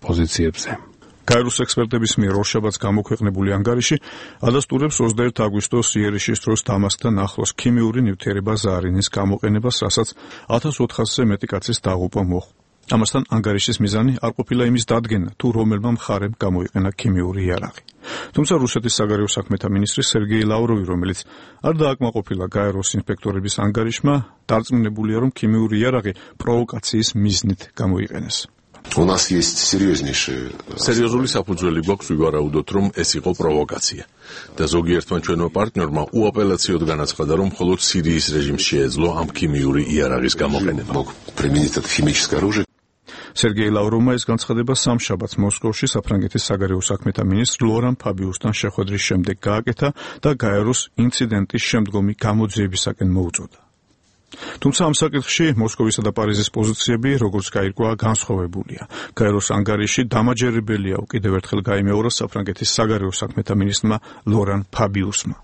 პოზიციებზე. გაეროს ექსპერტების მიერ ორშაბათს გამოქვეყნებული ანგარიში ადასტურებს 21 აგვისტოს იერიშის დროს დამასკთან ახლოს ქიმიური ნივთიერება ზარინის გამოყენებას, რასაც 1400-ზე მეტი კაცის დაღუპვა მოჰყვა. ამასთან ანგარიშის მიზანი არ ყოფილა იმის დადგენა, თუ რომელმა მხარემ გამოიყენა ქიმიური იარაღი. თუმცა რუსეთის საგარეო საქმეთა მინისტრი სერგეი ლავროვი, რომელიც არ დააკმაყოფილა გაეროს ინსპექტორების ანგარიშმა, დარწმუნებულია, რომ ქიმიური იარაღი პროვოკაციის მიზნით გამოიყენეს. სერიოზული საფუძველი გვაქვს ვივარაუდოთ, რომ ეს იყო პროვოკაცია. და ზოგიერთმა ჩვენმა პარტნიორმა უაპელაციოდ განაცხადა, რომ მხოლოდ სირიის რეჟიმს შეეძლო ამ ქიმიური იარაღის გამოყენება. სერგეი ლავროვმა ეს განცხადება სამშაბათს მოსკოვში საფრანგეთის საგარეო საქმეთა მინისტრ ლორან ფაბიუსთან შეხვედრის შემდეგ გააკეთა და გაეროს ინციდენტის შემდგომი გამოძიებისაკენ მოუწოდა. თუმცა ამ საკითხში მოსკოვისა და პარიზის პოზიციები, როგორც გაირკვა, განსხვავებულია. გაეროს ანგარიში დამაჯერებელია კიდევ ერთხელ გაიმეორა საფრანგეთის საგარეო საქმეთა მინისტრმა ლორან ფაბიუსმა.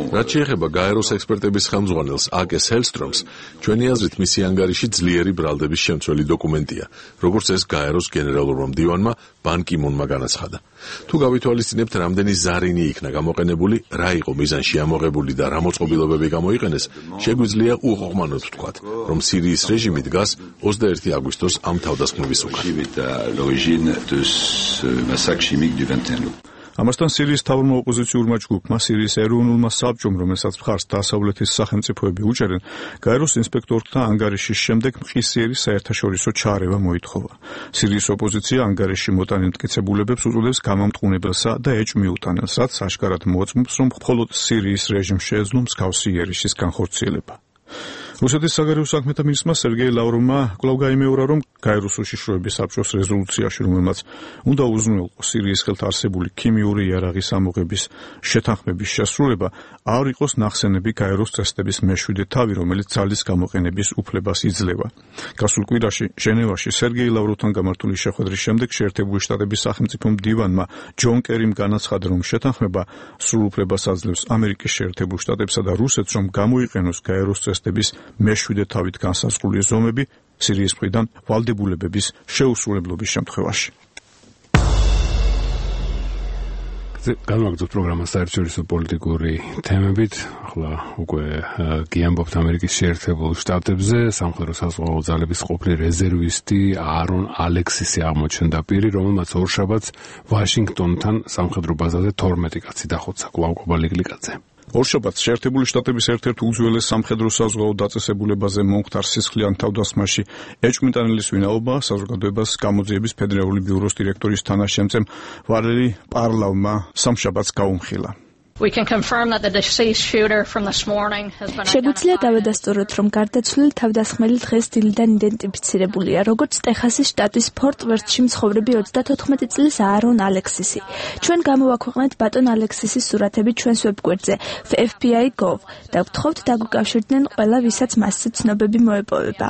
რაც შეეხება გაეროს ექსპერტების ხელმძღვანელს აკეს ჰელსტრომს, ჩვენი აზრით მისი ანგარიში ძლიერი ბრალდების შემცველი დოკუმენტია, როგორც ეს გაეროს გენერალურმა მდივანმა ბან კი მუნმა განაცხადა. თუ გავითვალისწინებთ, რამდენი ზარინი იქნა გამოყენებული, რა იყო მიზანში ამოღებული და რა მოწყობილობები გამოიყენეს, შეგვიძლია უყოყმანოდ ვთქვათ, რომ სირიის რეჟიმი დგას 21 აგვისტოს ამ თავდასხმების უკან. ამასთან სირიის თავრმა ოპოზიციურმა ჯგუფმა, სირიის ეროვნულმა საბჭომ, რომელსაც მხარს დასავლეთის სახელმწიფოები უჭერენ, გაეროს ინსპექტორთა ანგარიშის შემდეგ მყისიერი საერთაშორისო ჩარევა მოითხოვა. სირიის ოპოზიცია ანგარიში მოტანილ მტკიცებულებებს უწოდებს გამამტყუნებელსა და ეჭვ მიუტანელს, რაც აშკარად მოწმობს, რომ მხოლოდ სირიის რეჟიმს შეეძლო მსგავსი იერიშის განხორციელება. რუსეთის საგარეო საქმეთა მინისტრმა სერგეი ლავროვმა კვლავ გაიმეორა, რომ გაეროს უშიშროების საბჭოს რეზოლუციაში, რომელმაც უნდა უზრუნველყო სირიის ხელთ არსებული ქიმიური იარაღის ამოღების შეთანხმების შესრულება, არ იყოს ნახსენები გაეროს წესდების მეშვიდე თავი, რომელიც ძალის გამოყენების უფლებას იძლევა. გასულ კვირაში ჟენევაში სერგეი ლავროვთან გამართული შეხვედრის შემდეგ შეერთებული შტატების სახელმწიფო მდივანმა ჯონ კერიმ განაცხადა, რომ შეთანხმება სრულ უფლებას აძლევს ამერიკის შეერთებულ შტატებსა და რუსეთს, რომ გამოიყენოს გაეროს წესდების მეშვიდე თავით განსაზღვრული ზომები სირიის მხრიდან ვალდებულებების შეუსრულებლობის შემთხვევაში. განვაგრძობთ პროგრამას საერთაშორისო პოლიტიკური თემებით. ახლა უკვე გიამბობთ ამერიკის შეერთებულ შტატებზე. სამხედრო საზღვაო ძალების ყოფილი რეზერვისტი არონ ალექსისი აღმოჩნდა პირი, რომელმაც ორშაბათს ვაშინგტონთან სამხედრო ბაზაზე 12 კაცი დახოცა. კლავკობა ლიგლიკაძე. ორშაბათს შეერთებული შტატების ერთ-ერთ უძველეს სამხედრო საზღვაო დაწესებულებაზე მომხდარ სისხლიან თავდასხმაში ეჭვმიტანილის ვინაობა საზოგადოებას გამოძიების ფედერალური ბიუროს დირექტორის თანაშემწემ ვალერი პარლავმა სამშაბათს გაუმხილა. შეგვიძლია დავადასტუროთ, რომ გარდაცვლილი თავდასხმელი დღეს დილიდან იდენტიფიცირებულია, როგორც ტეხასის შტატის ფორტ ვერთში მცხოვრები 34 წლის არონ ალექსისი. ჩვენ გამოვაქვეყნეთ ბატონ ალექსისის სურათები ჩვენს ვებგვერდზე fbi.gov და ვთხოვთ დაგვიკავშირდნენ ყველა, ვისაც მასზე ცნობები მოეპოვება.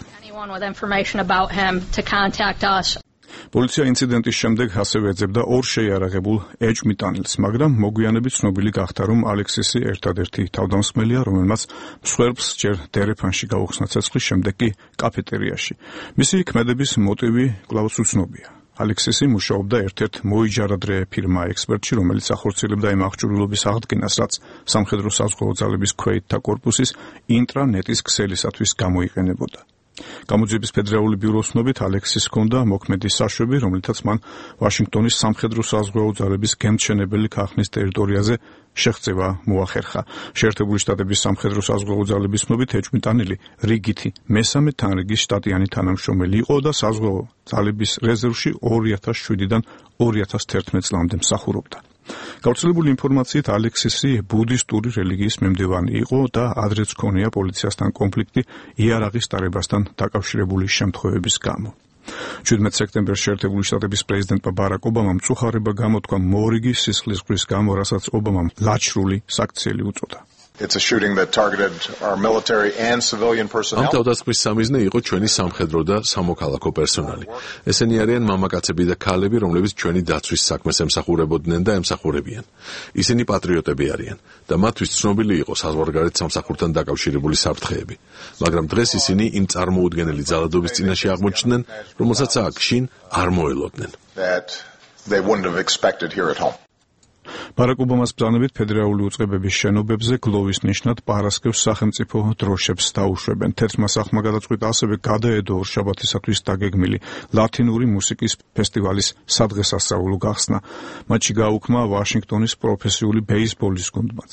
პოლიცია ინციდენტის შემდეგ ასევე ეძებდა ორ შეიარაღებულ ეჭვმიტანილს, მაგრამ მოგვიანებით ცნობილი გახდა, რომ ალექსისი ერთადერთი თავდამსხმელია, რომელმაც მსხვერპლს ჯერ დერეფანში გაუხსნა ცეცხლის, შემდეგ კი კაფეტერიაში. მისი ქმედების მოტივი კვლავ უცნობია. ალექსისი მუშაობდა ერთ-ერთ მოიჯარადრე ფირმა ექსპერტში, რომელიც ახორციელებდა იმ აღჭურვილობის აღდგენას, რაც სამხედრო საზღვაო ძალების ქვეითთა კორპუსის ინტრანეტის ქსელისათვის გამოიყენებოდა. გამოძიების ფედერალური ბიუროს ცნობით ალექსის ჰქონდა მოქმედი საშვები, რომლითაც მან ვაშინგტონის სამხედრო საზღვაო ძალების გემთჩენებელი ქარხნის ტერიტორიაზე შეღწევა მოახერხა. შეერთებული შტატების სამხედრო საზღვაო ძალების ცნობით ეჭვმიტანილი რიგითი მესამე თანრიგის შტატიანი თანამშრომელი იყო და საზღვაო ძალების რეზერვში 2007-დან 2011 წლამდე მსახურობდა. გავრცელებული ინფორმაციით ალექსისი ბუდისტური რელიგიის მიმდევარი იყო და ადრეც ჰქონია პოლიციასთან კონფლიქტი იარაღის ტარებასთან დაკავშირებული შემთხვევების გამო. 17 სექტემბერს შეერთებული შტატების პრეზიდენტმა ბარაკ ობამამ მწუხარება გამოთქვა მორიგი სისხლისღვრის გამო, რასაც ობამამ ლაჩრული საქციელი უწოდა. ამ თავდასხმის სამიზნე იყო ჩვენი სამხედრო და სამოქალაქო პერსონალი. ესენი არიან მამაკაცები და ქალები, რომლებიც ჩვენი დაცვის საქმეს ემსახურებოდნენ და ემსახურებიან. ისინი პატრიოტები არიან და მათთვის ცნობილი იყო საზღვარგარეთ სამსახურთან დაკავშირებული საფრთხეები. მაგრამ დღეს ისინი იმ წარმოუდგენელი ძალადობის წინაშე აღმოჩნდნენ, რომელსაც აქ შინ არ მოელოდნენ. ბარაკ ობამას ბრძანებით ფედერალური უწყებების შენობებზე გლოვის ნიშნად პარასკევს სახელმწიფო დროშებს დაუშვებენ. თეთრმა სახლმა გადაწყვიტა ასევე გადაედო ორშაბათისათვის დაგეგმილი ლათინური მუსიკის ფესტივალის სადღესასწაულო გახსნა. მათში გააუქმა ვაშინგტონის პროფესიული ბეისბოლის გუნდმაც.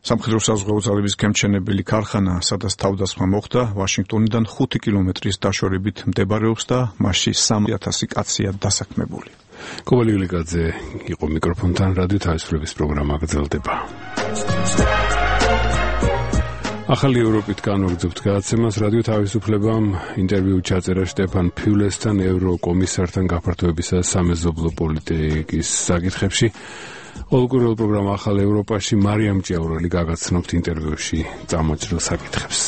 სამხედრო საზღვაო ძალების გემჩენებელი ქარხანა, სადაც თავდასხმა მოხდა, ვაშინგტონიდან 5 კილომეტრის დაშორებით მდებარეობს და მასში 3000 კაცია დასაქმებული. კოვალი ილიკაძე იყო მიკროფონთან, რადიო თავისუფლების პროგრამა გრძელდება. ახალი ევროპით განვაგრძობთ გადაცემას. რადიო თავისუფლებამ ინტერვიუ ჩაწერა შტეფან ფიულესთან, ევროკომისართან გაფართოებისა და სამეზობლო პოლიტიკის საკითხებში. ოლგურელ პროგრამა ახალ ევროპაში მარიამ ჭიაურელი გაგაცნობთ ინტერვიუში წამოჭრილ საკითხებს.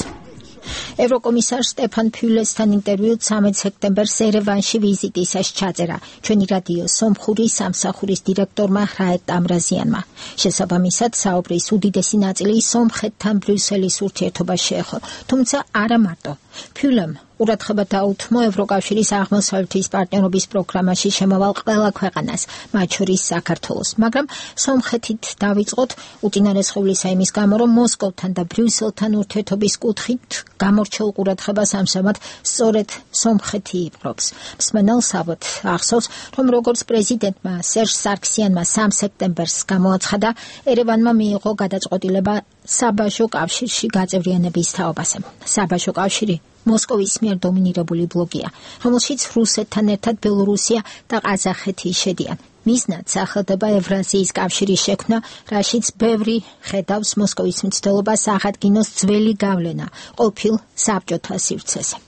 ევროკომისარ სტეფან ფიულესთან ინტერვიუ 13 სექტემბერს ერევანში ვიზიტისას ჩაწერა ჩვენი რადიო სომხური სამსახურის დირექტორმა რაეტ ამრაზიანმა. შესაბამისად საუბრის უდიდესი ნაწილი სომხეთთან ბრიუსელის ურთიერთობას შეეხო, თუმცა არა მარტო. ფიულემ ყურადღება დაუთმო ევროკავშირის აღმოსავლეთის პარტნიორობის პროგრამაში შემავალ ყველა ქვეყანას, მათ შორის საქართველოს, მაგრამ სომხეთით დავიწყოთ უწინარესხულისა იმის გამო, რომ მოსკოვთან და ბრიუსელთან ურთიერთობის კუთხით გამორჩეულ ყურადღებას ამჟამად სწორედ სომხეთი იპყრობს. მსმენელს ალბათ ახსოვს, რომ როგორც პრეზიდენტმა სერჟ სარქსიანმა 3 სექტემბერს გამოაცხადა, ერევანმა მიიღო გადაწყვეტილება საბაჟო კავშირში გაწევრიანების თაობაზე. საბაჟო კავშირი მოსკოვის მიერ დომინირებული ბლოკია, რომელშიც რუსეთთან ერთად ბელორუსია და ყაზახეთი შედიან. მიზნად სახელდება ევრაზიის კავშირის შექმნა, რაშიც ბევრი ხედავს მოსკოვის მცდელობას აღადგინოს ძველი გავლენა ყოფილ საბჭოთა სივრცეზე.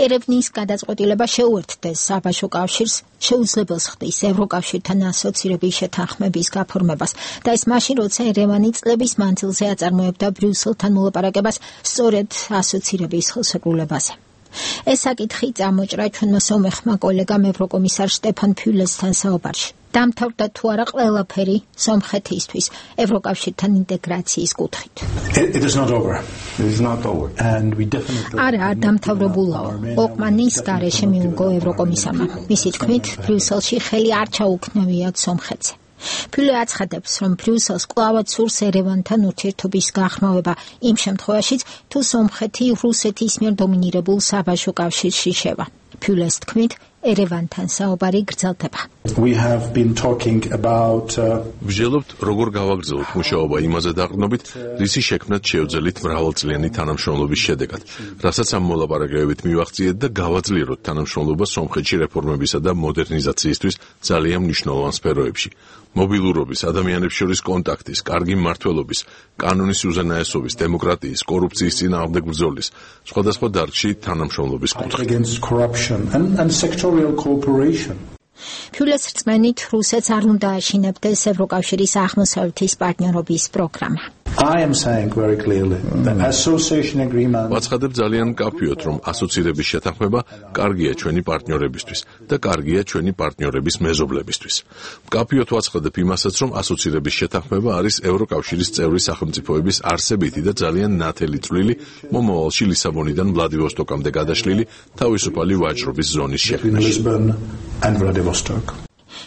ერევნის გადაწყვეტილება შეუერთდეს საბაჟო კავშირს, შეუძლებელს ხდის ევროკავშირთან ასოცირების შეთანხმების გაფორმებას და ეს მაშინ, როცა ერევანი წლების მანძილზე აწარმოებდა ბრიუსელთან მოლაპარაკებას სწორედ ასოცირების ხელშეკრულებაზე. ეს საკითხი წამოჭრა ჩვენმა სომეხმა კოლეგამ ევროკომისარ შტეფან ფიულესთან საუბარში. დამთავრდა თუ არა ყველაფერი სომხეთისთვის ევროკავშირთან ინტეგრაციის კუთხით. არა, არ დამთავრებულაო. ოყმანის გარეშე მიუგო ევროკომისარმა. მისი თქმით, ბრიუსელში ხელი არ ჩაუქნევიათ სომხეთზე. ფიულე აცხადებს, რომ ბრიუსელს კვლავაც სურს ერევანთან ურთიერთობის გახმოვება იმ შემთხვევაშიც, თუ სომხეთი რუსეთის მიერ დომინირებულ საბაჟო კავშირში შევა. ფიულეს თქმით, ერევანთან საუბარი გრძელდება. ვსჯელობთ, როგორ გავაგრძელოთ მუშაობა იმაზე დაყრდნობით, რისი შექმნათ შეუძლებელთ მრავალწლიანი თანამშრომლობის შედეგად, რასაც ამ მოლაპარაკებებით მივახციეთ და გავაძლიეროთ თანამშრომლობა სომხეთში რეფორმებისა და მოდერნიზაციისთვის ძალიან მნიშვნელოვან სფეროებში. მობილურობის, ადამიანებს შორის კონტაქტის, კარგი მმართველობის, კანონის უზენაესობის, დემოკრატიის, კორუფციის წინააღმდეგ ბრძოლის, სხვადასხვა დარგში თანამშრომლობის კუთხით. ფიულეს რწმენით, რუსეთს არ უნდა აშინებდეს ევროკავშირის აღმოსავლეთის პარტნიორობის პროგრამა. ვაცხადებ ძალიან მკაფიოდ, რომ ასოცირების შეთანხმება კარგია ჩვენი პარტნიორებისთვის და კარგია ჩვენი პარტნიორების მეზობლებისთვის. მკაფიოდ ვაცხადებ იმასაც, რომ ასოცირების შეთანხმება არის ევროკავშირის წევრი სახელმწიფოების არსებითი და ძალიან ნათელი წვლილი მომავალში ლისაბონიდან ვლადივოსტოკამდე გადაშლილი თავისუფალი ვაჭრობის ზონის შექმნაში.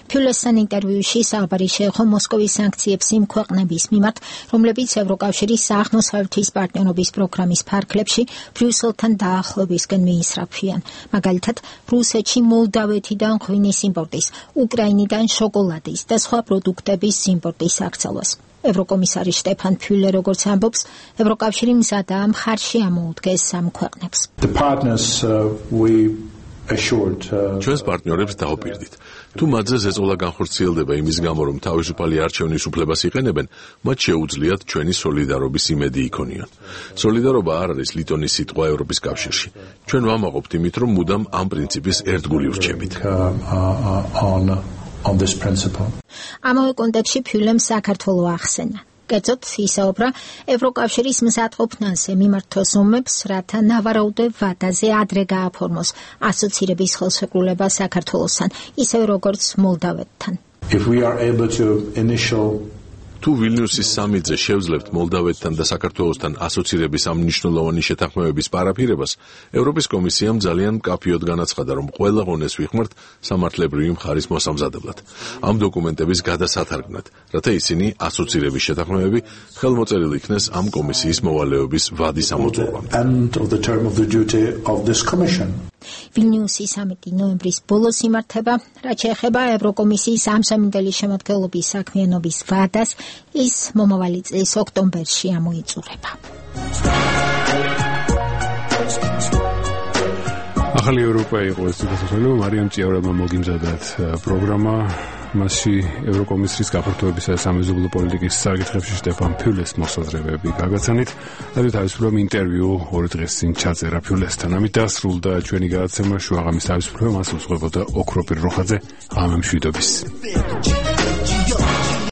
ფიულესთან ინტერვიუში საუბარი შეეხო მოსკოვის სანქციებს იმ ქვეყნების მიმართ, რომლებიც ევროკავშირის აღმოსავლეთის პარტნიორობის პროგრამის ფარგლებში ბრიუსელთან დაახლოებისკენ მიისწრაფვიან. მაგალითად, რუსეთში მოლდავეთიდან ღვინის იმპორტის, უკრაინიდან შოკოლადის და სხვა პროდუქტების იმპორტის აქცევას. ევროკომისარი შტეფან ფიულე როგორც ამბობს, ევროკავშირი მზადაა მხარში ამოუდგეს ამ ქვეყნებს. ჩვენს პარტნიორებს დაუპირდით. თუ მათზე ზეწოლა განხორციელდება იმის გამო, რომ თავისუფალი არჩევნის უფლებას იყენებენ, მათ შეუძლიათ ჩვენი სოლიდარობის იმედი იქონიონ. სოლიდარობა არ არის ლიტონის სიტყვა ევროპის კავშირში. ჩვენ ვამაყობთ იმით, რომ მუდამ ამ პრინციპის ერთგული ვრჩებით. ამავე კონტექსტში ფიულემ საქართველო ახსენა. კერძოდ ისაუბრა ევროკავშირის მზადყოფნაზე მიმართოს ომებს, რათა ნავარაუდე ვადაზე ადრე გააფორმოს ასოცირების ხელშეკრულება საქართველოსთან, ისევე როგორც მოლდავეთთან. თუ თუ ვილნიუსის სამიტზე შევძლებთ მოლდავეთთან და საქართველოსთან ასოცირების ამ მნიშვნელოვანი შეთანხმებების პარაფირებას, ევროპის კომისიამ ძალიან მკაფიოდ განაცხადა, რომ ყველა ღონეს ვიხმართ სამართლებრივი მხარის მოსამზადებლად. ამ დოკუმენტების გადასათარგმნად, რათა ისინი ასოცირების შეთანხმებები ხელმოწერილი იქნეს ამ კომისიის მოვალეობის ვადის ამოწურვამდე. ვილნიუსი სამიტი ნოემბრის ბოლოს იმართება, რაც შეეხება ევროკომისიის ამსამინდელი შემადგენლობის საქმიანობის ვადას, ის მომავალი წლის ოქტომბერში ამოიწურება. ახალი ევროპა იყო ეს თვითმფრინავი მარიამ ჭიაურებმა მოგიმზადათ პროგრამა. მასში ევროკომისიის გაფართოებისა და სამეზობლო პოლიტიკის საკითხებში სტეფან ფიულეს მოსაზრებები გაგაცანით. და თავისუფლად ინტერვიუ 2 დღის წინ ჩაწერა ფიულესთან. ამით დასრულდა ჩვენი გადაცემა. შუაღამის თავისუფლება მას უძღვებოდა ოქროპირ როხაძე. ღამე მშვიდობის.